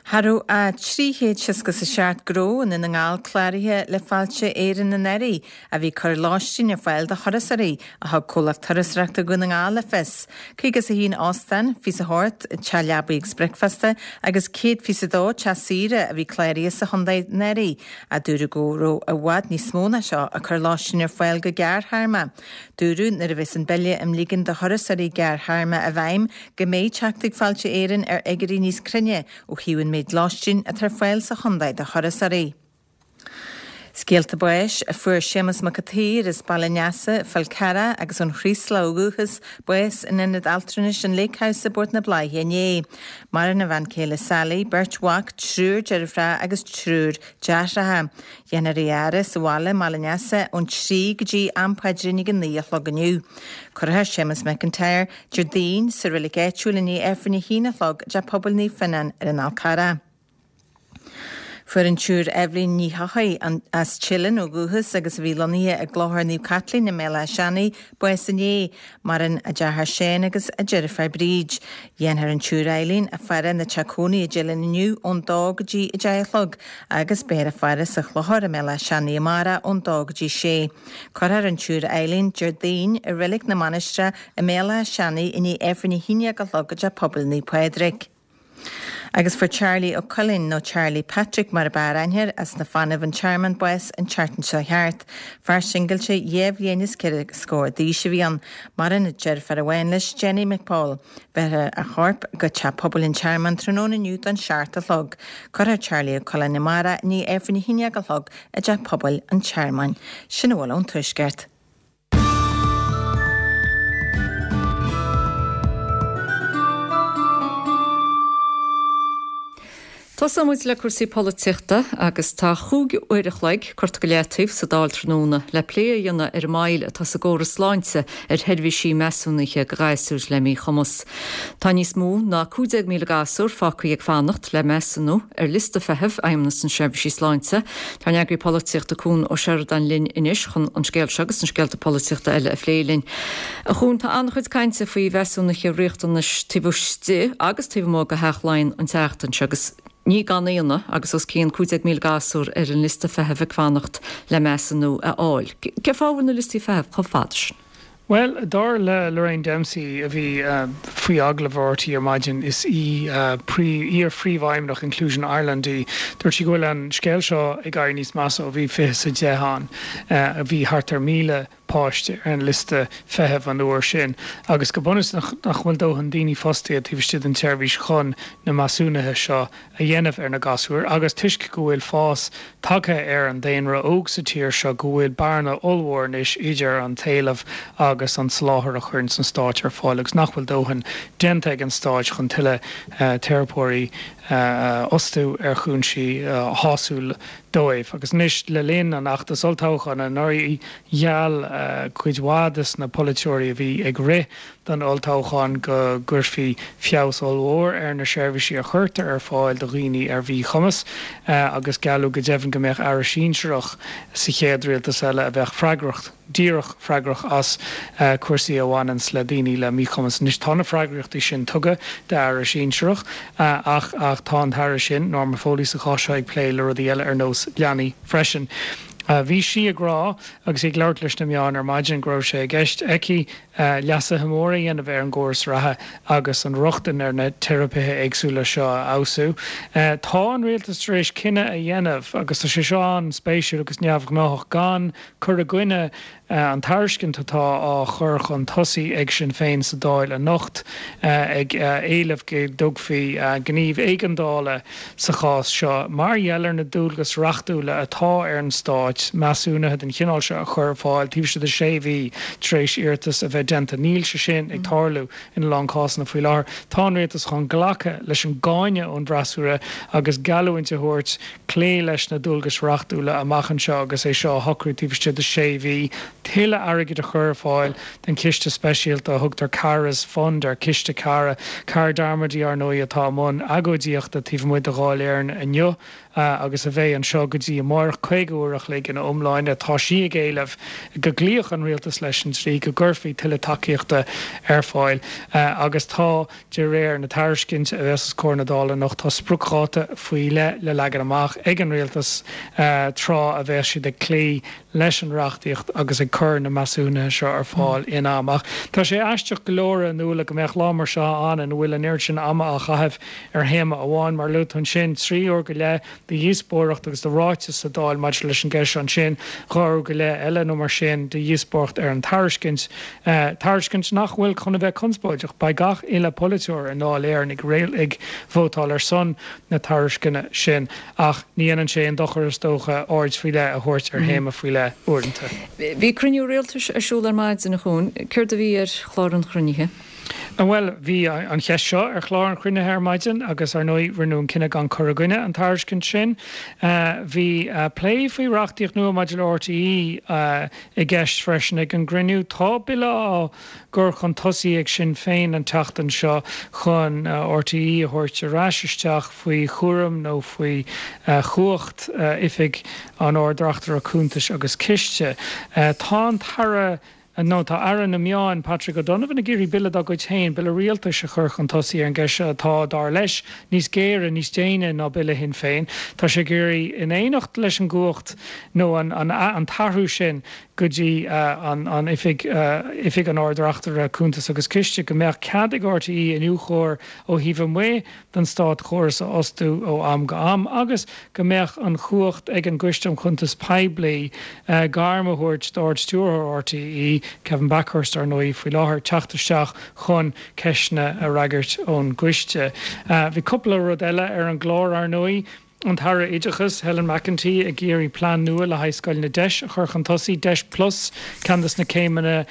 Cha raibh ach trí chéad seasca is a seacht gnó i nDún na nGall cláraithe le Fáilte Éireann anuraidh, a bhí ag cur lóistín ar fáil do thurasóirí, a thug Comhlacht Turasóireachta Dhún na nGall le fios. Caoga is a haon óstán, fiche is a hocht teach leabaí agus bricfeasta agus céad fiche is a dó teach saoire a bhí cláraithe sa chontae anuraidh, ach dúradh go raibh i bhfad níos mó ná seo ag cur lóistín ar fáil go gearrthéarma. Dúradh nuair a bheas an Bille um Ligean do Thurasóirí Gearrthéarma i bhfeidhm go mbeidh teacht ag Fáilte Éireann ar fhigiúirí níos cruinne ó thaobh an méid lóistín atá ar fáil sa chontae do thurasóirí. Scéalta báis a fuair Séamus Mac an tSaoir as Baile an Easa, Fál Carrach agus ón Chraoslach ó dhúchas, bás in Ionad Altranais an Lake House i bPort na Bláiche inné. Maireann a bhean chéile Sally, beirt mhac, triúr deirfiúracha agus triúr deartháireacha. Dhéanfar é a fhaire sa bhaile i mBaile an Easa ón trí go dtí am paidrín ag a naoi a chlog inniu. Cuirfear Séamus McIntyre Déardaoin sa reilig áitiúil i ndiaidh Aifreann a haon a chlog i dTeach Pobail Naomh Fionnán ar an Fhál Carrach. Fuair an tSiúr Eibhlín Ní Heochaidh, as Teileann ó dhúchas agus a bhí lonnaithe i gClochar Naomh Caitlín i mBéal Átha Seanaidh, bás inné. Maireann a deartháir Seán agus a deirfiúr Bríd. Dhéanfar an tSiúr Eibhlín a faire ina teach cónaí i dTeileann inniu ón dó go dtí a deich a chlog agus beifear á faire sa Chlochar i mBéal Átha Seanaidh amárach ón dó go dtí sé. Cuirfear an tSiúr Eibhlín Déardaoin i Reilig na Mainistreach i mBéal Átha Seanaidh i ndiaidh Aifreann a haon déag a chlog i dTeach Pobail Naomh Pádraig. Agus fuair Charlie Ó Coileáin, nó Charlie Patrick mar ab fhearr aithne air, as na Fanaibh, an Tearmann, bás an tseachtain seo thart. Fear singilte dhá bhliain is ceithre scór d'aois a bhí ann. Maireann a deirfiúr amháin leis, Jenny McPaul. Bhéarfar a chorp go Teach Pobail an Tearmainn tráthnóna inniu don seacht a chlog. Cuirfear Charlie Ó Coileáin amárach i ndiaidh Aifreann a haon déag a chlog i dTeach Pobail an Tearmainn. Sin a bhfuil ón Tuaisceart. Tosóidh muid le cúrsaí polaitíochta agus tá chúig uair a chloig curtha go leataobh sa Dáil tráthnóna le plé a dhéanamh ar an moill atá sa gcóras sláinte ar sheirbhísí measúnaithe do ghasúir le míchumas. Tá níos mó ná cúig déag míle gasúr fágtha ag fanacht le measúnú ar liosta feithimh Fheidhmeannas na Seirbhísí Sláinte. Tá ár n-eagraí polaitíochta Cuan Ó Seireadáin linn anois chun an scéal seo agus na scéalta polaitíochta eile a phlé linn. A Chuain, tá an-chuid cainte faoi mheasúnuithe riachtanais taobh istigh agus taobh amuigh de Theach Laighean an tseachtain seo agus ní gan ionadh agus os cionn cúig déag míle gasúr ar an liosta feithimh ag fanacht le measúnú a fháil. Cén fáth a bhfuil na liostaí feithimh chomh fada sin? Bhuel, dar le Lorraine Dempsey, a bhí faoi agallamh ar RTÉ ar maidin, is í iar-phríomhfheidhmeannach Inclusion Ireland í, dúirt sí go bhfuil an scéal seo ag éirí níos measa ó bhí fiche is a deich ann. Bhí thart ar míle páiste ar an liosta feithimh an uair sin agus go bunúsach nach bhfuil dóthain daoine fostaithe taobh istigh den tseirbhís chun na measúnuithe seo a dhéanamh ar na gasúir agus toisc go bhfuil fás tagtha ar an daonra óg sa tír seo go bhfuil bearna ollmhór anois idir an t-éileamh agus an soláthar a chuireann an Stát ar fáil agus nach bhfuil dóthain déanta ag an Stát chun tuilleadh teiripeoirí a fhostú ar chúinsí shásúil dóibh. Agus anois, le linn an fheachtais olltoghcháin anuraidh, gheall cuid mhaith des na polaiteoirí a bhí ag rith don olltoghchán go gcuirfí feabhas ollmhór ar na seirbhísí a chuirtear ar fáil do dhaoine ar mhíchumas agus gealladh go deimhin go mbeadh aire sinsearach sa chéad rialtas eile a bheadh freagrach díreach freagrach as cúrsaí a bhaineanns le daoine le míchumas. Anois tá na freagrachtaí sin tugtha d'aire sinsearach ach ach tá an t-aire sin, Norma Foley sa chás seo, ag plé le rudaí eile ar nós leanaí freisin. Bhí sí ag rá agus í ag labhairt leis na meáin ar maidin go raibh sé i gceist aici leasuithe móra a dhéanamh ar an gcóras reatha agus an rochtain ar na teiripithe éagsúla seo a fheabhsú. Tá an rialtas tar éis cinneadh a dhéanamh, agus tá sé seo an-spéisiúil agus neamhghnáthach, gan cur i gcoinne an tairiscint atá á chur chun tosaigh ag Sinn Féin sa Dáil anocht, ag éileamh go dtógfaí gníomh éigeandála sa chás seo mar gheall ar na dualgais reachtúla atá ar an Stát measúnuithe den chineál seo a chur ar fáil taobh istigh de sé mhí tar éis iarratas a bheith déanta. Níl sé sin ag tarlú ina lán cásanna faoi láthair. Tá an Rialtas chun glacadh leis an gcáineadh ón bhfreasúra agus geallúint a thabhairt cloí leis na dualgais reachtúla amach anseo agus é seo a shocrú taobh istigh de sé mhí, tuilleadh airgid a chur ar fáil don chiste speisialta a thugtar Cara's Fund air, Ciste Cara. Cara Darmody, ar ndóigh, atá i mbun agóidíochta taobh amuigh de Dháil Éireann inniu agus a bheidh anseo go dtí amárach, caoga uair a chloig ina iomláine. Tá sí ag éileamh go gcloífeadh an rialtas leis an dlí, go gcuirfí tuilleadh tuilleadh tacaíochta ar fáil agus tá, de réir na tairiscinte a bheas os comhair na Dála anocht, tá spriocdháta faoi leith le leagan amach ag an rialtas tráth a bheas siad ag cloí leis an reachtaíocht agus ag cur na measúnuithe seo ar fáil in am. Ach tá sé aisteach go leor, a Nuala, go mbeadh lá mar seo ann ina bhfuil an oiread sin ama á chaitheamh ar théama amháin. Mar a luaigh tú ansin, trí uair go leith de dhíospóireacht agus de ráiteas sa Dáil maidir leis an gceist seo ansin, dhá uair go leith eile nó mar sin de dhíospóireacht ar an tairiscint, tairiscint nach bhfuil chun a bheith conspóideach. Beidh gach uile pholaiteoir i nDáil Éireann ag ag vótáil ar son na tairisceana sin. Ach ní dhéanann sé aon dochar, is dócha, aird faoi leith a thabhairt ar théama faoi leith uaireanta. Bhí cruinniú rialtais ar siúl ar maidin, a Chuain. Céard a bhí ar chlár an chruinnithe? Bhuel, bhí an cheist seo ar chlár an chruinnithe ar maidin agus, ar ndóigh, rinneadh an cinneadh gan cur i gcoinne an tairiscint sin. Bhí plé faoi reachtaíocht nua maidir le RTÉ i gceist freisin ag an gcruinniú. Tá bille á gcur chun tosaigh ag Sinn Féin an tseachtain seo chun RTÉ a thabhairt ar ais isteach faoi chúram nó faoi chumhacht Oifig an Ard-Reachtaire Cuntais agus Ciste. Tá an tAire. Nó tá Aire na Meán, Patrick O'Donovan ag iarraidh bille dá gcuid féin, bille rialtais a chur chun tosaigh ar an gceist seo atá, dar leis, níos géire, níos déine ná bille Shinn Féin. Tá sé ag iarraidh, in éineacht leis an gcumhacht nó an an t-athrú sin go dtí an an Oifig, Oifig an Ard-Reachtaire Cuntas agus Ciste, go mbeadh cead ag RTÉ iniúchóir ó thaobh amuigh den státchóras a fhostú ó am go am agus go mbeadh an chumhacht ag an gCoiste um Chuntais Poiblí gairm a thabhairt d'Ard-Stiúrthóir RTÉ, Kevin Bakhurst, ar ndóigh, faoi láthair, teacht isteach chun ceisteanna a fhreagairt ón gcoiste. Bhí cúpla rud eile ar an gclár, ar ndóigh. An tAire Oideachais, Helen McEntee, ag iarraidh plean nua le haghaidh scoileanna DEIS a chur chun tosaigh, DEIS Plus, ceann de na céimeanna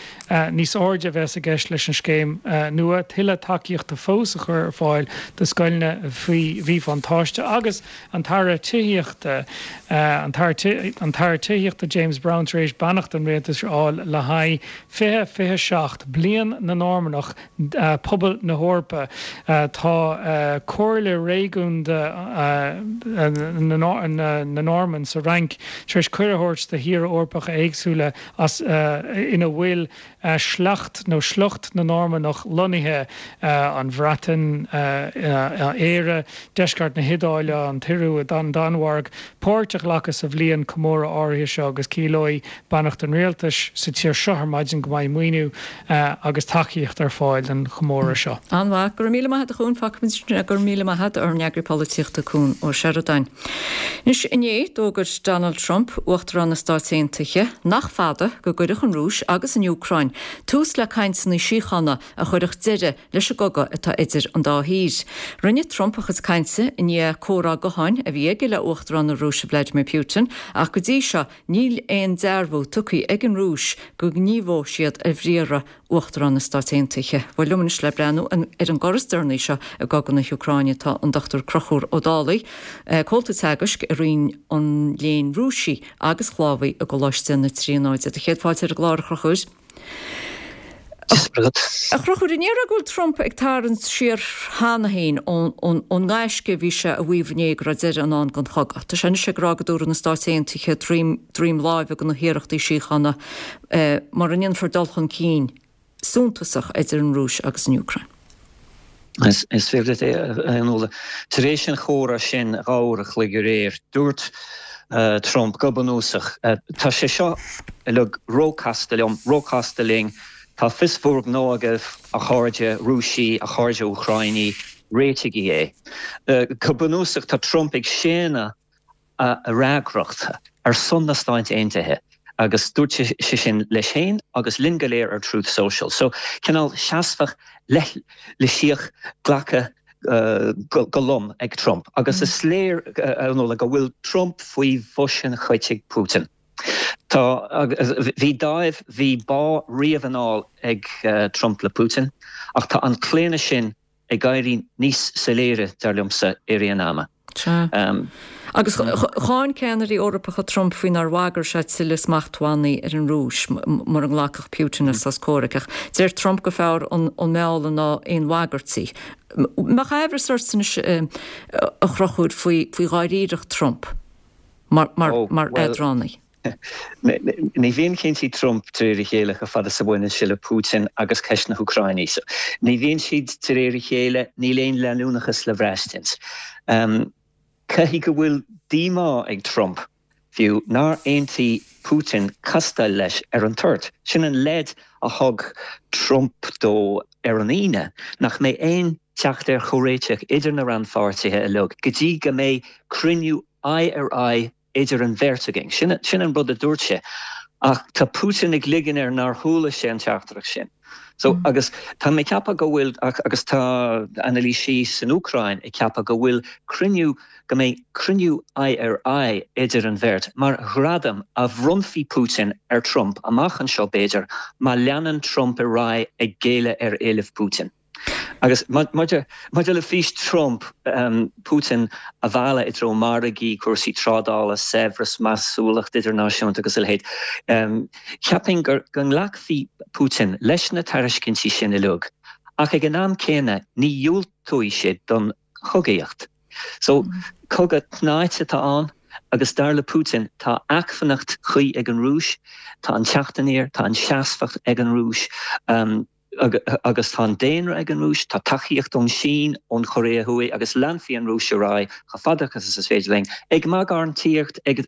níos airde a bheas i gceist leis an scéim nua, tuilleadh tacaíochta fós a chur ar fáil do scoileanna faoi mhíbhuntáiste agus an tAire Tithíochta, an tAire Tithíochta James Browne tar éis beannacht an Rialtais a fháil le haghaidh fiche fiche seacht, Bliain na Normannach, Pobal na hEorpa. Tá Comhairle Réigiúnda na Normann sa Fhrainc tar éis cuireadh a thabhairt do thíortha Eorpacha éagsúla as ina bhfuil sleacht nó sliocht na Normannach lonnaithe, an Bhreatain, Éire, deisceart na hIodáile, an tIorua, an Danmhairg, páirt a ghlacadh sa bhliain comóradh áirithe seo agus ciallóidh beannacht an rialtais sa tír seo ar maidin go mbeidh maoiniú agus tacaíocht ar fáil don chomóradh seo. An-mhaith. Go raibh míle maith agat a Chuain. Fágfaimid Go raibh míle maith agat, ár n-eagraí polaitíochta Cuan Ó Seireadáin. Anois, inné, d'fhógair Donald Trump, Uachtarán na Stáit Aontaithe, nach fada go gcuirfeadh an Rúis agus an Úcráin tús le cainteanna síochána a chuirfeadh deireadh leis an gcogadh atá idir an dá thír. Rinne Trump a chuid cainte i ndiaidh comhrá gutháin a bhí aige le Uachtarán na Rúise Vladimir Putin ach go dtí seo níl aon dearbhú tugtha ag an Rúis go ngníomhóidh siad ar bhriathra Uachtarán na Stát Aontaithe. Bhuel liom anois le breathnú ar an gcor is deireanaí seo i gcogadh na hÚcráine tá an Dochtúir Conchúr Ó Dálaigh, Comhalta Teagaisc i Roinn an Léinn Rúisigh agus Shlávaigh i gColáiste na Tríonóide. Do chéad fáilte ar an gclár, a Chonchúir. A Chonchúir, an ndéarfá go bhfuil Trump ag tarraingt siar cheana féin ón ngaisce a bhí sé a mhaíomh inné go raibh deireadh i ndán don chogadh? Tá sé anois ag rá go dtabharfaidh na Stáit Aontaithe droim láimhe do na hiarrachtaí síochána mura ndéanfar dul chun cinn suntasach idir an Rúis agus an Úcráin. Is fíor duit é, a Fhionnuala. Tar éis an chomhrá sin dhá uair a chloig aréir, dúirt Trump go bunúsach, Tá sé seo uilig róchasta liom, róchasta linn. Tá fios bhur ngnó agaibh, a chairde Rúisigh, a chairde Úcráinigh, réitigí é. Go bunúsach, tá Trump ag séanadh a fhreagracht ar son na Stáit Aontaithe agus dúirt sé sin leis féin agus linn go léir ar Truth Social. So, cineál seasmhach leithlisíoch glactha go lom ag Trump agus is léir, a Fhionnuala, go bhfuil Trump faoi bhois an chait ag Putin. Tá, bhí dáimh, bhí bá riamh anall ag Trump le Putin ach tá an claonadh sin ag éirí níos soiléire, dar liomsa, i rith an ama. Sea. Agus cháin ceannairí Eorpacha Trump faoi nár bhagair sé tuilleadh smachtbhannaí ar an Rúis mura nglacfadh Putin le sos comhraic. Ach deir Trump gur fearr an mealladh ná aon bhagairtí. Mbeadh aimhreas ort anois, a Chonchúir, faoi dháiríreacht Trump mar eadránaí? Ní bhíonn cinntí Trump de réir a chéile chomh fada is a bhaineann sé le Putin agus ceist na hÚcráine. So, ní bhíonn siad de réir a chéile, níl aon leanúnachas le braistint. Caithfidh go bhfuil díomá ag Trump, fiú, nár aontaigh Putin castáil leis ar an toirt. Sin an leid a thug Trump dó ar an Aoine, nach mbeidh aon teacht ar chomhréiteach idir na rannpháirtithe uilig go dtí go mbeidh cruinniú aghaidh ar aghaidh idir an bheirt againn. Sin sin an rud a dúirt sé. Ach tá Putin ag ligean air nár chuala sé an teachtaireacht sin. So, agus tá mé ag ceapadh go bhfuil, agus tá anailísí san Úcráin ag ceapadh go bhfuil cruinniú, go mbeidh cruinniú aghaidh ar aghaidh idir an bheirt mar ghradam a bhronnfaidh Putin ar Trump amach anseo b'fhéidir, má leanann Trump ar aghaidh ag géilleadh ar éilimh Putin. Agus maidir le fís Trump, Putin a mhealladh i dtreo margaí, cúrsaí trádála, saibhreas, measúlacht idirnáisiúnta agus a leithéid, cheapfainn go nglacfaidh Putin leis na tairiscintí sin uilig, ach ag an am céanna ní dhiúltóidh sé don chogaíocht. So, cogadh tnáite atá ann agus dar le Putin tá acmhainneacht chuí ag an Rúis, tá an teacht aniar, tá an seasmhacht ag an Rúis. Agus tá an daonra ag an Rúis, tá tacaíocht ón Sín, ón Chóiré Thuaidh agus leanfaidh an Rúis ar aghaidh chomh fada agus is féidir linn, ag magartaíocht, ag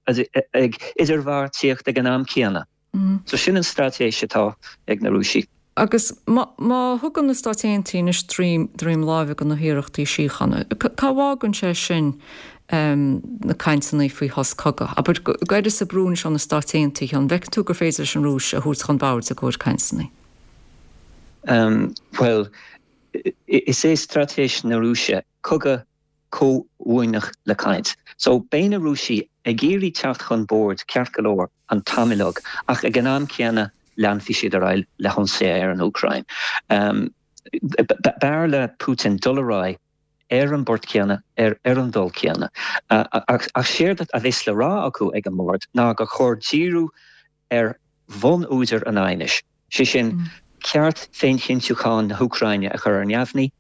idirbheartaíocht ag an am céanna. So sin an straitéis atá ag na Rúisigh. Agus má thugann na Stáit Aontaithe anois droim láimhe do na hiarrachtaí síochána, cá bhfágann sé sin na cainteanna faoi shos cogaidh? Abair, go gcuirfear brú anois ó na Stáit Aontaithe, an bhfeiceann tú gur féidir leis an Rúis a thabhairt chun boird i gcomhair cainteanna? Bhuel, is é straitéis na Rúise cogadh comhuaineach le caint. So, beidh na Rúisigh ag iarraidh teacht chun boird, ceart go leor, an t-am uilig, ach ag an am céanna leanfaidh siad ar aghaidh le hionsaithe ar an Úcráin. B'fhearr le Putin dul ar aghaidh ar an bport céanna, ar an dul céanna. Ach séard a bheas le rá acu ag an mbord ná gur chóir díriú ar bhun-údar an aighnis, sé sin, ceart féinchinntiúcháin na hÚcráine a chur ar neamhní,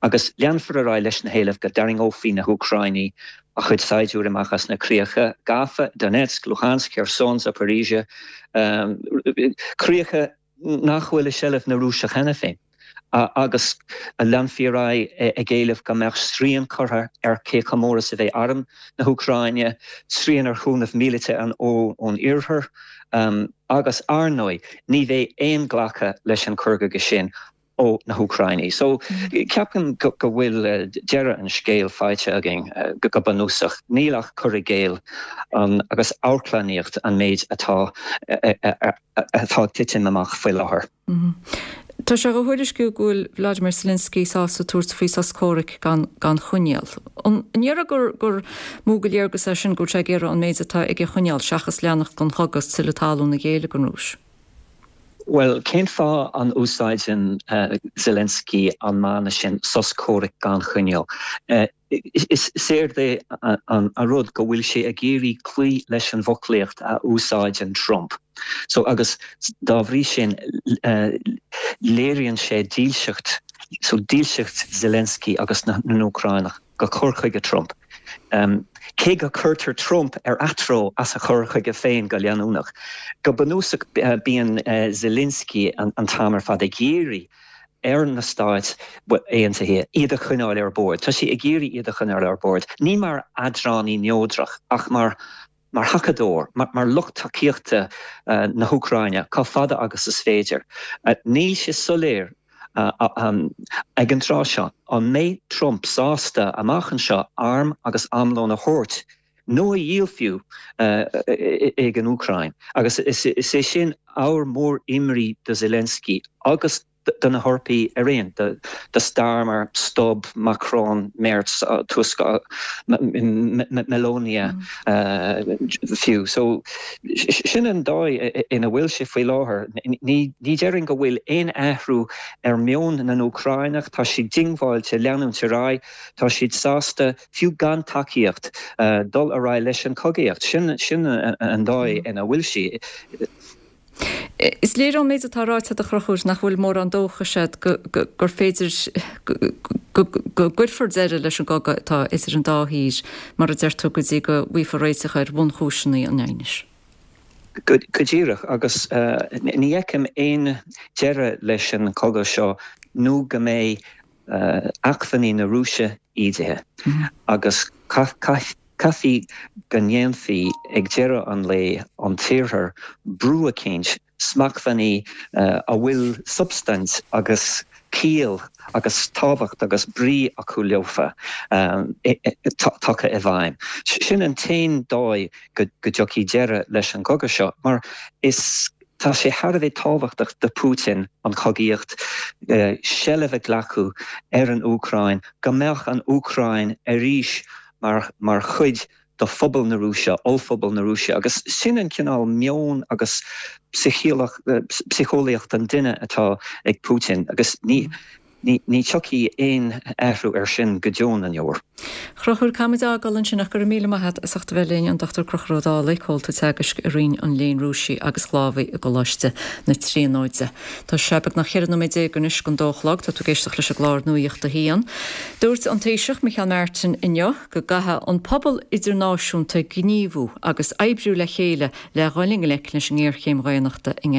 agus leanfar ar aghaidh leis na héilimh go dtarraingeofaí na hÚcráinigh a chuid saighdiúirí amach as na críocha gafa, Donetsk, Luhansk, Kherson, Zaporizhia, críocha nach bhfuil i seilbh na Rúise cheana féin, agus leanfaí ar aghaidh ag éileamh go mbeadh srian curtha ar cé chomh mór is a bheidh arm na hÚcráine, srian ar chúnamh míleata ón Iarthar, agus ar ndóigh ní bheidh aon ghlacadh leis an chur chuige sin ó na hÚcráinigh. So, ceapaim go bhfuil deireadh an scéil faighte againn go bunúsach. Níl ach cur i gcéill agus amharclannaíocht an méid atá atá ag titim amach faoi láthair. Tá sé á thuairisciú go bhfuil Vladimir Zelensky sásta tabhairt faoi sos comhraic gan gan choinníoll. An ndéarfá gur gur mó de léargas é sin go bhfuil sé ag iarraidh an méid atá aige a choinneáil seachas leanacht den chogadh is tuilleadh talún a ghéilleadh don Rúis? Bhuel, cén fáth an úsáideann Zelensky an mana sin, sos comhraic gan choinníoll? Is éard é an rud go bhfuil sé ag iarraidh cloí leis an bhfoclaíocht a úsáideann Trump. So, agus dá bhrí sin, léiríonn sé dílseacht, so dílseacht Zelensky agus na nÚcránach go cur chuige Trump. Cé go cuirtear Trump ar atreo as a chur chuige féin go leanúnach, go bunúsach bíonn Zelensky an t-am ar fad ag iarraidh ar na Stáit Aontaithe iad a choinneáil ar bord. Tá sé ag iarraidh iad a choinneáil ar bord, ní mar eadránaí neodrach ach mar mar thacadóir, mar lucht tacaíochta na hÚcráine chomh fada agus is féidir. Níl sé soiléir ag an tráth seo an mbeidh Trump sásta amach anseo airm agus armlón a thabhairt nó a dhíol fiú ag an Úcráin agus is é sin ábhar mór imní do Zelensky agus do na hEorpaigh araon, do Starmer, Stubb, Macron, Merz, Tusk, Meloni fiú. So sin an dóigh ina bhfuil sé faoi láthair. Ní déarfainn go bhfuil aon athrú ar mheon na nÚcráineach, tá siad diongbháilte leanúint ar aghaidh, tá siad sásta, fiú gan tacaíocht, dul ar aghaidh leis an chogaíocht. Sin an dóigh ina bhfuil sí. Is léir ón méid atá ráite agat a Chonchúir nach bhfuil mórán dóchais agat gur féidir go gcuirfear deireadh leis an gcogadh atá idir an dá thír, mar a deir tú, go dtí go bhfaighfear réiteach ar bhunchúiseanna an aighnis. Go díreach agus ní fheicim aon deireadh leis an chogadh seo nó go mbeidh acmhainní na Rúise ídithe agus caithfidh go ndéanfaí ag deireadh an lae an tIarthar brú eicínt, smachtbhannaí a bhfuil substaint agus ciall agus tábhacht agus brí acu leofa tagtha i bhfeidhm. Sin an t-aon dóigh go dtiocfaidh deireadh leis an gcogadh seo, mar is tá sé thar a bheith tábhachtach do Putin an chogaíocht, seilbh a ghlacadh ar an Úcráin, go mbeadh an Úcráin arís mar mar chuid de phobal na Rúise, ollphobal na Rúise, agus sin an cineál meon agus psiceolaíocht an duine atá ag Putin agus ní ní ní tiocfaidh aon athrú ar sin go deo na ndeor. Chrochúr caithfimid a fhágáil ansin ach go raibh míle maith agat as ucht a bheith linn, an Dochtúir Conchúr Ó Dálaigh, Comhalta Teagaisc i Roinn an Léinn Rúisigh agus Shlávaigh i gColáiste na Tríonóide. Tá sé beagnach cheithre nóiméad déag anois don dó a chlog, tá tú ag éisteacht leis an gclár Nuacht a hAon. Dúirt an Taoiseach Micheál Martin inniu go gcaithfidh an pobal idirnáisiúnta gníomhú agus oibriú le chéile le dhul i ngleic leis an ngéarchéim dhaonnachta i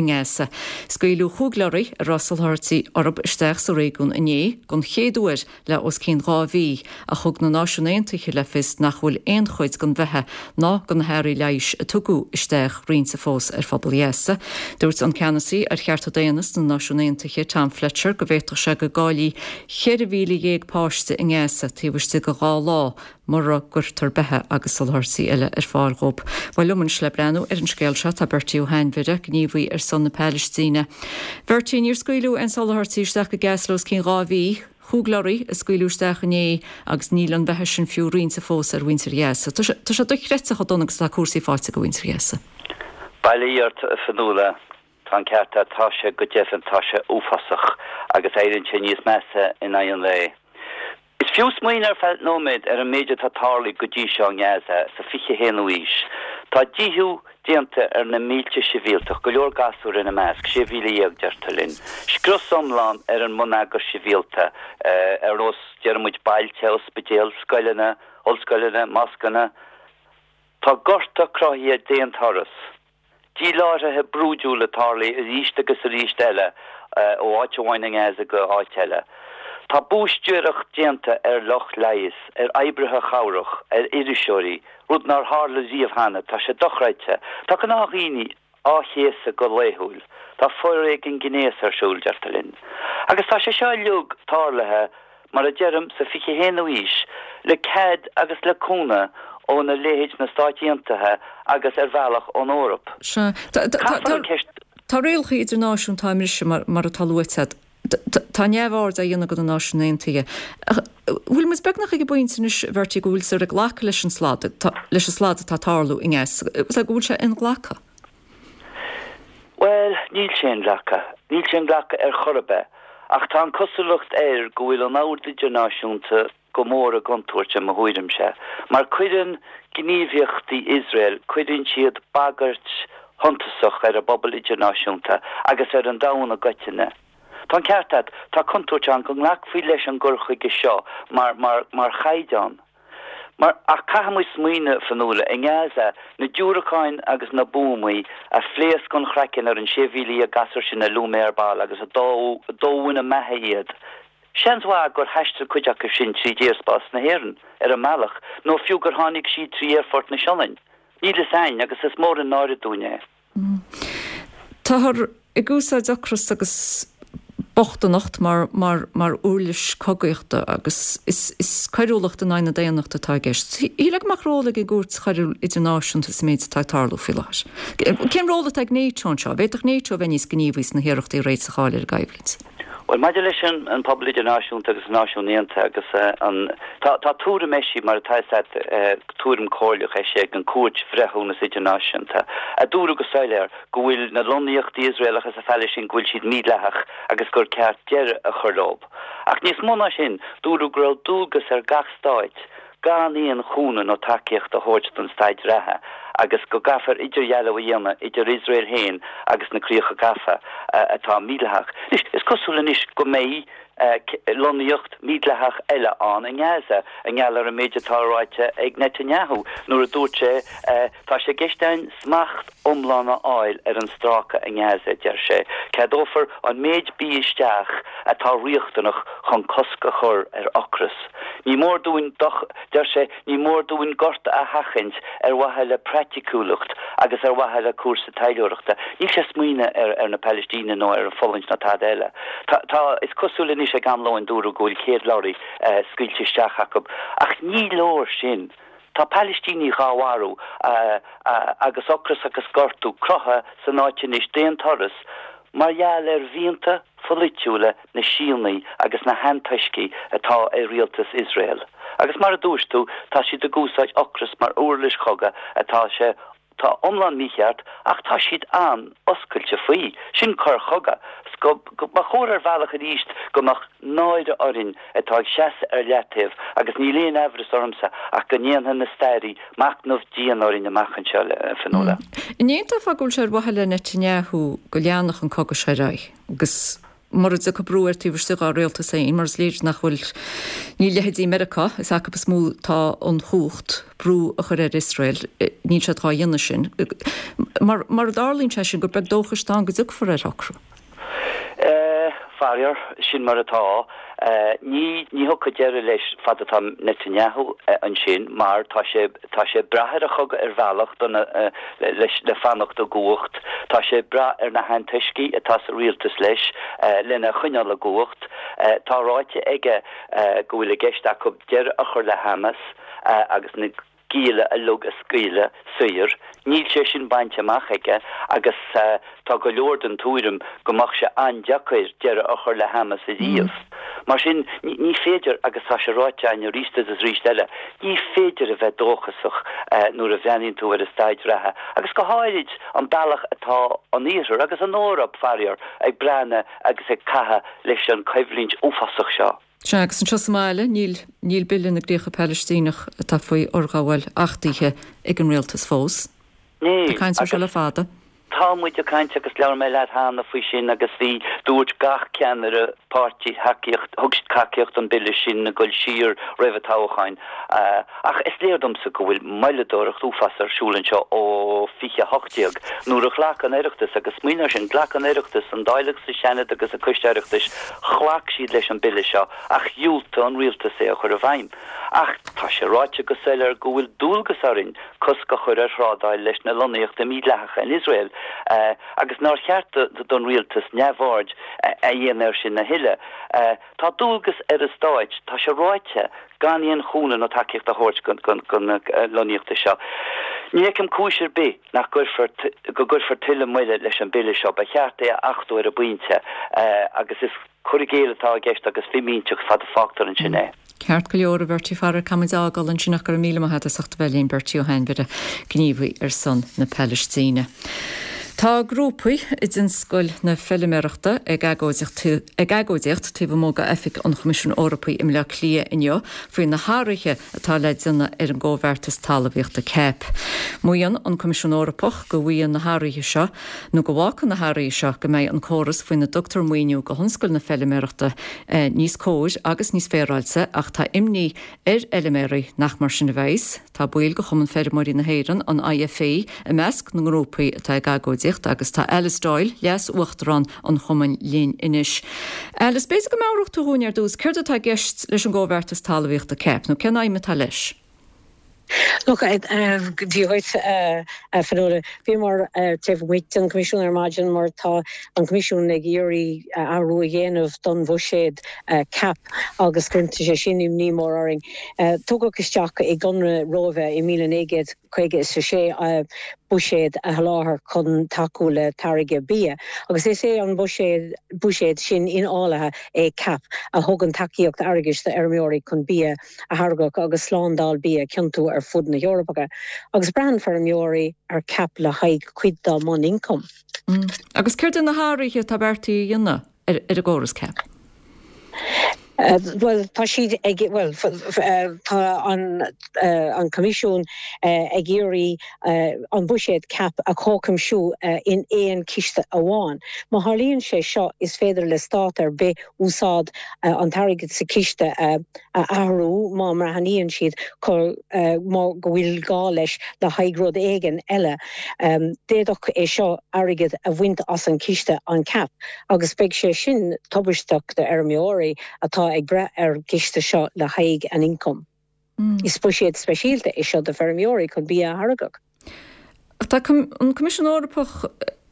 nGaza. Scaoileadh chúig leoraí a raibh soláthairtí orthu isteach sa réigiún inné don chéad uair le os cionn dhá mhí, ach thug na Náisiúin Aontaithe le fios nach bhfuil aon chuid den bheatha ná de na hearraí leighis a tugadh isteach roinnte fós ar phobal Ghaza. Dúirt an ceannasaí ar chearta daonna sna Náisiúin Aontaithe, Tom Fletcher, go bhféadfadh sé go gcaillfí ceithre mhíle dhéag páiste i nGaza taobh istigh de dhá lá mura gcuirtear beatha agus soláthairtí eile ar fáil dhóibh. Bhuel liom anois le breathnú ar an scéal seo tá Bertie Ó hAinmhire, gníomhaí ar son na Palaistíne. Bertie, níor scaoileadh aon soláthairtí isteach go Gaza le os cionn dhá mhí, chúig leoraí a scaoileadh isteach inné agus níl an bheatha sin fiú roinnte fós ar mhuintir Ghaza. Tá sé dochreidte chomh dona agus atá cúrsaí faighte do mhuintir Ghaza. Bail ó Dhia ort, a Fionnuala. Tá an ceart agat, tá sé go deimhin, tá sé uafásach agus éiríonn sé níos measa in aghaidh an lae. Is fiú smaoineamh ar feadh nóiméad ar an méid atá tarlaithe go dtí seo i nGaza sa fiche haonú aois. Tá díothú déanta ar na mílte sibhialtach, go leor gasúr ina measc, sé mhíle dhéag deirtear linn. Scrios iomlán ar an mbonneagar sibhialta, ar nós, déarfaidh muid, bailte, ospidéil, scoileanna, ollscoileanna, moscanna. Tá gorta cruthaithe d'aon turas. Díláithrithe brúidiúla tarlaithe arís agus arís eile ó áit amháin i nGaza go áit eile. Tá búistéireacht déanta ar lucht leighis, ar oibrithe chabhrach, ar iriseoirí, rud nár tharla riamh cheana. Tá sé dochreidte. Tá gnáthdhaoine á chéasadh go laethúil. Tá foréigean gnéis ar siúl, deirtear linn. Agus tá sé seo uilig tarlaithe mar a deirim, sa fiche haonú aois, le cead agus le cúnamh óna leithéid na Stáit Aontaithe agus ar bhealach ón Eoraip. Sea. Caithfear an cheist. Tá rialacha idirnáisiúnta á mbriseadh, mar atá luaite agat. Tá neamhaird á dhéanamh de na Náisiúin Aontaithe. Ach bhfuil muid beagnach ag an bpointe anois, a Bhertie, go bhfuiltear ag glacadh leis an slad, leis an slad atá ag tarlú i nGaza, go bhfuil sé inghlactha? Bhuel, níl sé inghlactha. Níl sé inghlactha ar chor ar bith. Ach tá an cosúlacht air go bhfuil an ord idirnáisiúnta go mór i gcontúirt, i mo thuairimse. Mar cuireann gníomhaíochtaí Iosrael, cuireann siad bagairt shuntasach ar an bpobal idirnáisiúnta agus ar an domhan i gcoitinne. Tá an ceart agat, tá contúirt ann go nglacfaí leis an gcur chuige seo mar, mar, mar chaighdeán. Mar, ach caithfidh muid smaoineamh, Fionnuala, i nGaza, na diúracáin agus na buamaí a phléasc an craiceann ar an sé mhíle dhéag gasúr sin a luaigh mé ar ball agus a dódh ina mbeatha iad, seans mhaith gur thaistil cuid acu sin tríd aerspás na hÉireann ar an mbealach, nó fiú gur tháinig siad trí aerfort na Sionainne. Níl fhios a'inn agus is mór an náire dúinn é. Táthar ag úsáid ocras agus bochtaineacht mar mar mar uirlis cogaíochta agus is is coiriúlacht in aghaidh na daonnachta atá i gceist. Shílfeá go mbeadh ról ag an gCúirt Choiriúil Idirnáisiúnta sa méid atá ag tarlú faoi láthair. Cén ról atá ag NATO anseo? An bhféadfadh NATO a bheith níos gníomhaí sna hiarrachtaí réiteach a fháil ar an gcoimhlint? Bhuel, maidir leis an pobal idirnáisiúnta agus na Náisiúin Aontaithe agus an, tá, tá tuairim eisithe, mar atá fhios agat, tuairim comhairleach eisithe ag an Cúirt Bhreithiúnas Idirnáisiúnta, a dúradh go soiléir go bhfuil na lonnaíochtaí Iosraelacha sa Phalaistín, go bhfuil siad mídhleathach agus gur ceart deireadh a chur leo. Ach níos mó ná sin, dúradh go raibh dualgas ar gach stáit gan aon chúnamh nó tacaíocht a thabhairt don staid reatha agus go gcaithfear idirdhealú a dhéanamh idir Iosrael féin agus na Críocha Gafa atá mídhleathach. Anois, is cosúil anois go mbeidh lonnaíocht mhídhleathach eile ann i nGaza i ngeall ar an méid atá ráite ag Netanyahu nuair a dúirt sé Tá sé i gceist againn smacht iomlán a fháil ar an stráice i nGaza, a deir sé. Ceadófar an méid bídh isteach atá riachtanach chun cosc a chur ar ocras. Ní mór dúinn, deir sé, ní mór dúinn gorta a sheachaint ar mhaithe le praiticiúlacht agus ar mhaithe le cúrsa taidhleoireachta. Níl sé ag smaoineamh ar ar na Palaistínigh nó ar an bhfulaingt ná tada eile. Tá, tá, is cosúil anois ag am lóin dúradh go bhfuil céad lorry scaoilte isteach acu. Ach ní leor sin. Tá Palaistínigh dhá mharú agus ocras agus gortú cruthaithe san áit anois d'aon turas mar gheall ar mhianta pholaitiúla na Síónaigh agus na hantoiscigh atá i rialtas Iosrael. Agus mar a dúirt tú, tá siad ag úsáid ocras mar uirlis chogaidh atá sé tá iomlán mícheart ach tá siad an-oscailte faoi. Sin coir chogaidh. Go mba chóir ar bhealach arís go mbeadh náire orainn atá ag seasamh ar leataobh agus níl aon aimhreas ormsa ach go ndéanfaidh na stairí machnamh dian orainn amach anseo, a Fionnuala. An aontófá go bhfuil sé ar mhaithe le Netanyahu go leanfadh an cogadh seo ar aghaidh agus mura dtiocfaidh brú air taobh istigh dá rialtas féin, mar is léir nach bhfuil, níl leithéidí Meiriceá, is acu is mó atá an chumhacht brú a chur ar Iosrael, níl siad dhá dhéanamh sin. Mar, mura dtarlaíonn sé sin, gur beag dóchais atá ann go dtiocfar ar shocrú. Faraor, sin mar atá. Ní, ní thiocfaidh deireadh leis fad atá Netanyahu ansin mar tá sé, tá sé ag brath ar an chogadh ar bhealach do na, leis, le fanacht i gcumhacht. Tá sé ag brath ar na hantoiscigh atá sa rialtas leis lena choinneáil i gcumhacht. Tá ráite aige go bhfuil i gceist acu deireadh a chur le Hamas agus na gialla uilig a scaoileadh saor. Níl sé sin bainte amach aige agus tá go leor den tuairim go mbeadh sé an-deacair deireadh a chur le Hamas ariamh. Mar sin, ní féidir, agus tá sé ráite againn arís agus arís eile, ní féidir a bheith dóchasach nuair a bhreathnaíonn tú ar an staid reatha agus go háirid an bealach atá an Iarthar agus an Eoraip, faraor, ag breathnú agus ag caitheamh leis an choimhlint uafásach seo. Sea, agus anseo sa mbaile, níl, níl Bille na gCríocha Palaistíneach atá faoi fhorghabháil achtaithe ag an rialtas fós. Níl, Tá caint air seo agus le fada. tá muid ag caint agus labhair mé leat cheana faoi sin agus bhí, dúirt gach ceannaire páirtí tacaíocht, thug siad tacaíocht don bhille sin ag dul siar roimh an toghcháin. Ach is léir domsa go bhfuil moilleadóireacht uafásach ar siúl anseo ó fiche a hocht déag nuair a ghlac an Oireachtas, agus smaoinigh air sin, ghlac an Oireachtas, an Dáil agus an Seanad agus an Coiste Oireachtais, Ghlac siad leis an bille seo ach dhiúltaigh an rialtas é a chur i bhfeidhm. Ach tá sé ráite go soiléir go bhfuil dualgas orainn cosc a chur ar thrádáil leis na lonnaíochtaí mídhleathacha in Iosrael agus nár cheart don rialtas neamhaird a dhéanamh air sin a thuilleadh. Tá dualgas ar an stáit, tá sé ráite, gan aon chúnamh nó tacaíocht a thabhairt do na lonnaíochtaí seo. Ní fheicim cúis ar bith nach gcuirfear go gcuirfear tuilleadh moille leis an bille seo. Ba cheart é a achtú ar an bpointe agus is cur i gcéill atá i gceist agus fimínteacht fad a fágtar ansin é. Ceart go leor, a Bhertie faraor caithfidh muid a fhágáil ansin ach go raibh míle maith agat as ucht a bheith linn, Bertie Ó hAinmhire, gníomhaí ar son na Palaistíne. Tá grúpaí i dtionscal na feiliméarachta ag agóidíocht taobh amuigh d'oifig an Choimisiúin Eorpaigh i mBleá Cliath inniu faoi na hathruithe atá le déanamh ar an gComhbheartas Talmhaíochta, CAP. Maíonn an Coimisiún Eorpach go bhfaigheann na hathruithe seo nó go bhfágfaidh na hathruithe seo go mbeidh an córas faoina dtugtar maoiniú do thionscal na feiliméarachta níos cóir agus níos féaráilte ach tá imní ar fheiliméaraí nach mar sin a bheas. Tá baill de Chumann Feirmeoirí na hÉireann, an IFA, i measc na ngrúpaí atá ag agóidíocht agus tá Alice Doyle, Leas-Uachtarán an Chumainn linn anois. Alice, b'fhéidir go meabhródh tú dhúinn ar dtús céard atá i gceist leis an gComhbheartas Talmhaíochta, CAP, nó cén aidhm atá leis? Look, Dia dhuit, a Fionnuala. Bhíomar taobh amuigh den Choimisiún ar maidin mar tá an Coimisiún ag iarraidh athrú a dhéanamh don bhuiséad CAP agus cuireann sé sin imní mór orainn. Tugadh isteach i gConradh Róimhe i míle naoi gcéad caoga is a sé buiséad a sholáthar chun tacú le táirgeadh bia agus is é an buiséad sin infhálaithe é CAP a thugann tacaíocht airgeadais d'fheirmeoirí chun bia a tháirgeadh agus slándáil bia a chinntiú ar fud na hEorpa agus braitheann feirmeoirí ar CAP le haghaidh cuid dá mbun-ioncam. Agus céard iad na hathruithe atá beartaithe a dhéanamh ar an gcóras CAP? Bhuel, tá siad ag, bhuel, tá an an Coimisiún ag iarraidh an buiséad CAP a chomhchuibhiú in aon chiste amháin. Má tharlaíonn sé seo, is féidir le stát ar bith úsáid an t-airgead sa chiste a athrú má mbreathnaíonn siad go bhfuil gá leis le haghaidh rud éigin eile. D'fhéadfadh é seo airgead a bhaint as an chiste an CAP agus beidh sé sin tubaisteach d'fheirmeoirí atá ag brath ar an gciste seo le haghaidh an ioncam. Is buiséad speisialta é seo do feirmeoirí chun bia a tháirgeadh. Tá an Coimisiún Eorpach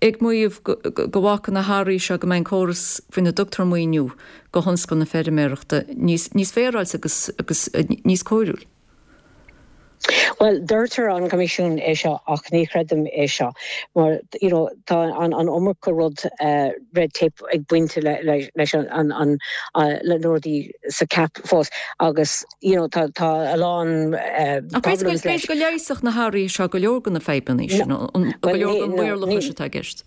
ag maíomh go bhfágfaidh na hathruithe seo go mbeidh an córas faoina dtugtar maoiniú do thionscal na feirmeoireachta níos féaráilte agus agus níos cóiriúil. Bhuel, deirtear an Coimisiún é seo ach ní chreidim é seo mar you know, tá an, an iomarca rud uh, red tape ag baint le, le, leis an, an, an uh, le rudaí sa CAP fós agus you know, tá, tá a lán uh, problems leis. B'fhéidir go leigheasfadh na hathruithe seo go leor de na fadhbanna sin, go leor den mhaorlathas atá i gceist.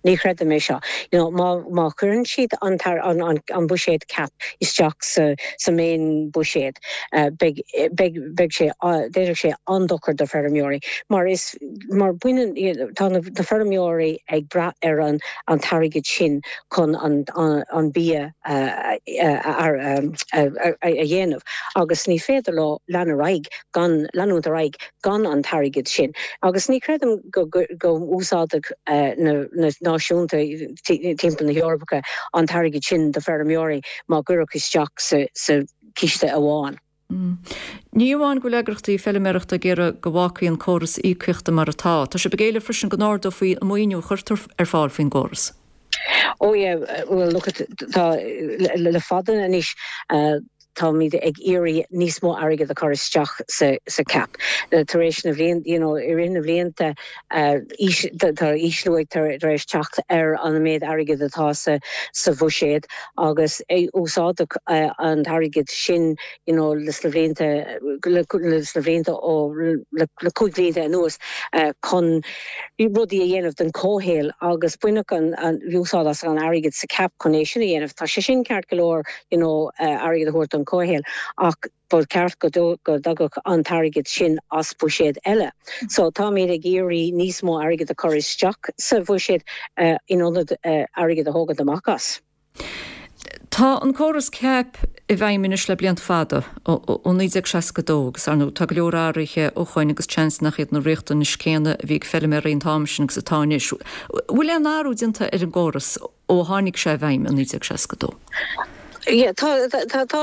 Ní chreidim é seo. You know, má, má chuireann siad an, tar, an, an, an buiséad CAP isteach sa, sa main buiséad, uh, beidh, beidh, beidh sé, uh, déanfaidh sé an-dochar do feirmeoirí. Mar is mar baineann tá na, na feirmeoirí ag brath ar an, an t-airgead sin chun an, an, an bia uh, uh, uh, uh, uh, a dhéanamh. Agus ní féidir leo lean ar aghaidh gan leanúint ar aghaidh gan an t-airgead sin. Agus ní chreidim go, go, go úsáidfeadh uh, na, na náisiúnta timpeall na hEorpa an t-airgead sin do feirmeoirí má cuireadh isteach sa, sa ciste amháin. Mm. Ní amháin go bhfuil eagraíochtaí feilméarachta ag iarraidh go bhfágfaí an córas íocaíochta mar atá, tá sibh ag éileamh freisin go n-ardófaí an maoiniú a chuirtear ar fáil faoin gcóras. Oh yeah, well look at tá le, le fada anois uh, táimid ag iarraidh níos mó airgead a chur isteach sa, sa CAP. Tar éis na bhliain you know, i rith na bhlianta uh, tá ísliú tar éis teacht ar an méid airgead atá sa, sa bhuiséad agus úsáideadh uh, an t-airgead sin you know, leis na blianta leis na blianta ó le, le cúig blianta anuas uh, chun rudaí a dhéanamh don chomhshaol agus baineadh an, an úsáid as an airgead sa CAP chun é sin a dhéanamh. Tá sé sin ceart go leor you know, uh, airgead a thabhairt don chomhshaol ach ba cheart go go dtagadh an t-airgead sin as buiséad eile. So táimid ag iarraidh níos mó airgead a chur isteach sa bhuiséad uh, in ionad uh, airgead a thógáil amach as. Tá an córas CAP i bhfeidhm anois le blianta fada ó naoi déag seasca dó agus ar ndóigh tá go leor athruithe ó shoin agus seans nach iad na riachtanais céanna a bhí ag feilméaraí an t-am sin agus atá anois. Bhfuil aon athrú déanta ar an gcóras ó tháinig sé i bhfeidhm i naoi déag seasca dó? Yeah, tá tá tá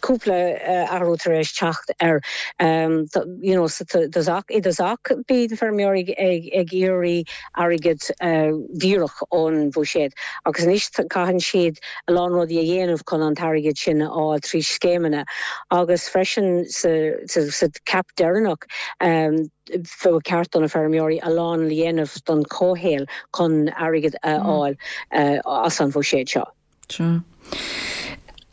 cúpla uh, athrú tar éis teacht ar um, you know, sa dtosach i dtosach bhí feirmeoirí ag ag iarraidh airgead uh, díreach ón bhuiséad agus anois caitheann siad a lán rudaí a dhéanamh chun an t-airgead sin a fháil trí scéimeanna agus freisin sa, sa, sa CAP deireanach um, ba cheart do na feirmeoirí a lán a dhéanamh don chomhshaol chun airgead a fháil uh, as an bhuiséad seo. Sure.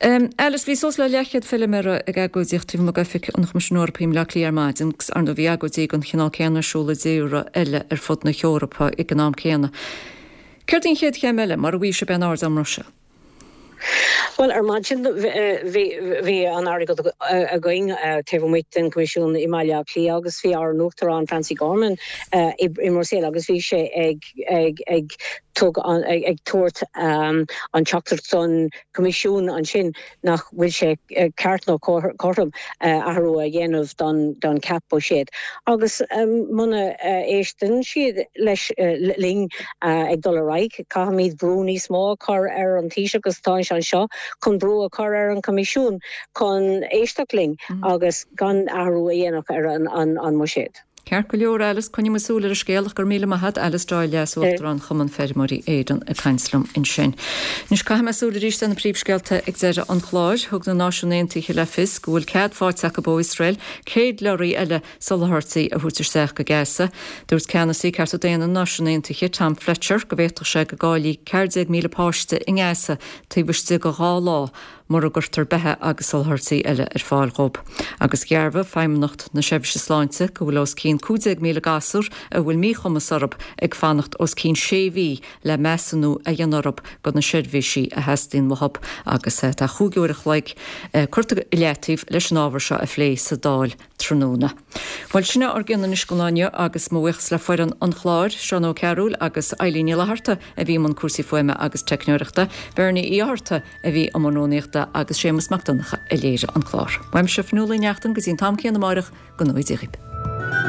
Um, Alice, bhí suas le leathchéad feilméara ag agóidíocht taobh amuigh d'oifig an Choimisiúin Eorpaigh i mBaile Átha Cliath ar maidin, agus ar ndóigh bhí agóidí den chineál céanna ar siúl i dtíortha eile ar fud na hEorpa ag an am céanna. Céard í an chéad chéim eile mar a bhí sé ben ard am Russia? Well ar maidin bhí an agóid againn taobh amuigh den Coimisiún i mBaile Átha Cliath agus bhí ár n-uachtarán Francie Gorman i mBruiséil agus bhí sé ag ag ag tug an ag, ag tabhairt um, an teachtaireacht don Coimisiún ansin nach bhfuil sé ceart nó cothrom uh, athrú a dhéanamh don don CAP buiséad. Agus um, muna uh, éisteann siad leis uh, linn uh, ag dul ar aghaidh, caithfimid brú níos mó a chur ar an Taoiseach agus tá an seo chun brú a chur ar an Coimisiún chun éisteacht linn mm. agus gan athrú a dhéanamh ar an, an, an mbuiséad. Ceart go leor Alice coinneoidh muid súil ar an scéal ach go raibh míle maith agat Alice Doyle Leas-Uachtarán Chumann Feirmeoirí Éireann ag caint liom ansin. Anois caithfidh mé súil arís ar na príomhscéalta ag deireadh an chláir thug na Náisiúin Aontaithe le fios go bhfuil cead faighte acu ó Iosrael céad leoraí eile soláthairtí a thabhairt isteach go Gaza. Dúirt ceannasaí cearta daonna na Náisiún Aontaithe Tom Fletcher go bhféadfadh sé go gcaillfí ceathair déag míle páiste i nGaza taobh istigh de dhá lá mura gcuirtear beatha agus soláthairtí eile ar fáil dóibh. Agus dhearbhaigh Feidhmeannacht na Seirbhíse Sláinte go bhfuil os cionn bíonn cúig déag míle gasúr a bhfuil míchumas orthu ag fanacht os cionn sé mhí le measúnú a dhéanamh orthu do na seirbhísí a theastaíonn uathu agus tá chúig uair a chloig curtha i leataobh leis an ábhar seo a phlé sa Dáil tráthnóna. Bhuel sin ár gcion anois don lá inniu agus mo bhuíochas le foireann an chláir, Seán Ó Cearúil agus Eileen Ní Fhlatharta a bhí i mbun cúrsaí fuaime agus teicneoireachta, Bernie Uí Fhátharta a bhí i mbun rúnaíochta agus Séamus Mac Donncha a léirigh an clár. Uaimse Fionnuala Ní Neachtain go dtí an t-am céanna amárach, go ngnóthaí Dia dhaoibh.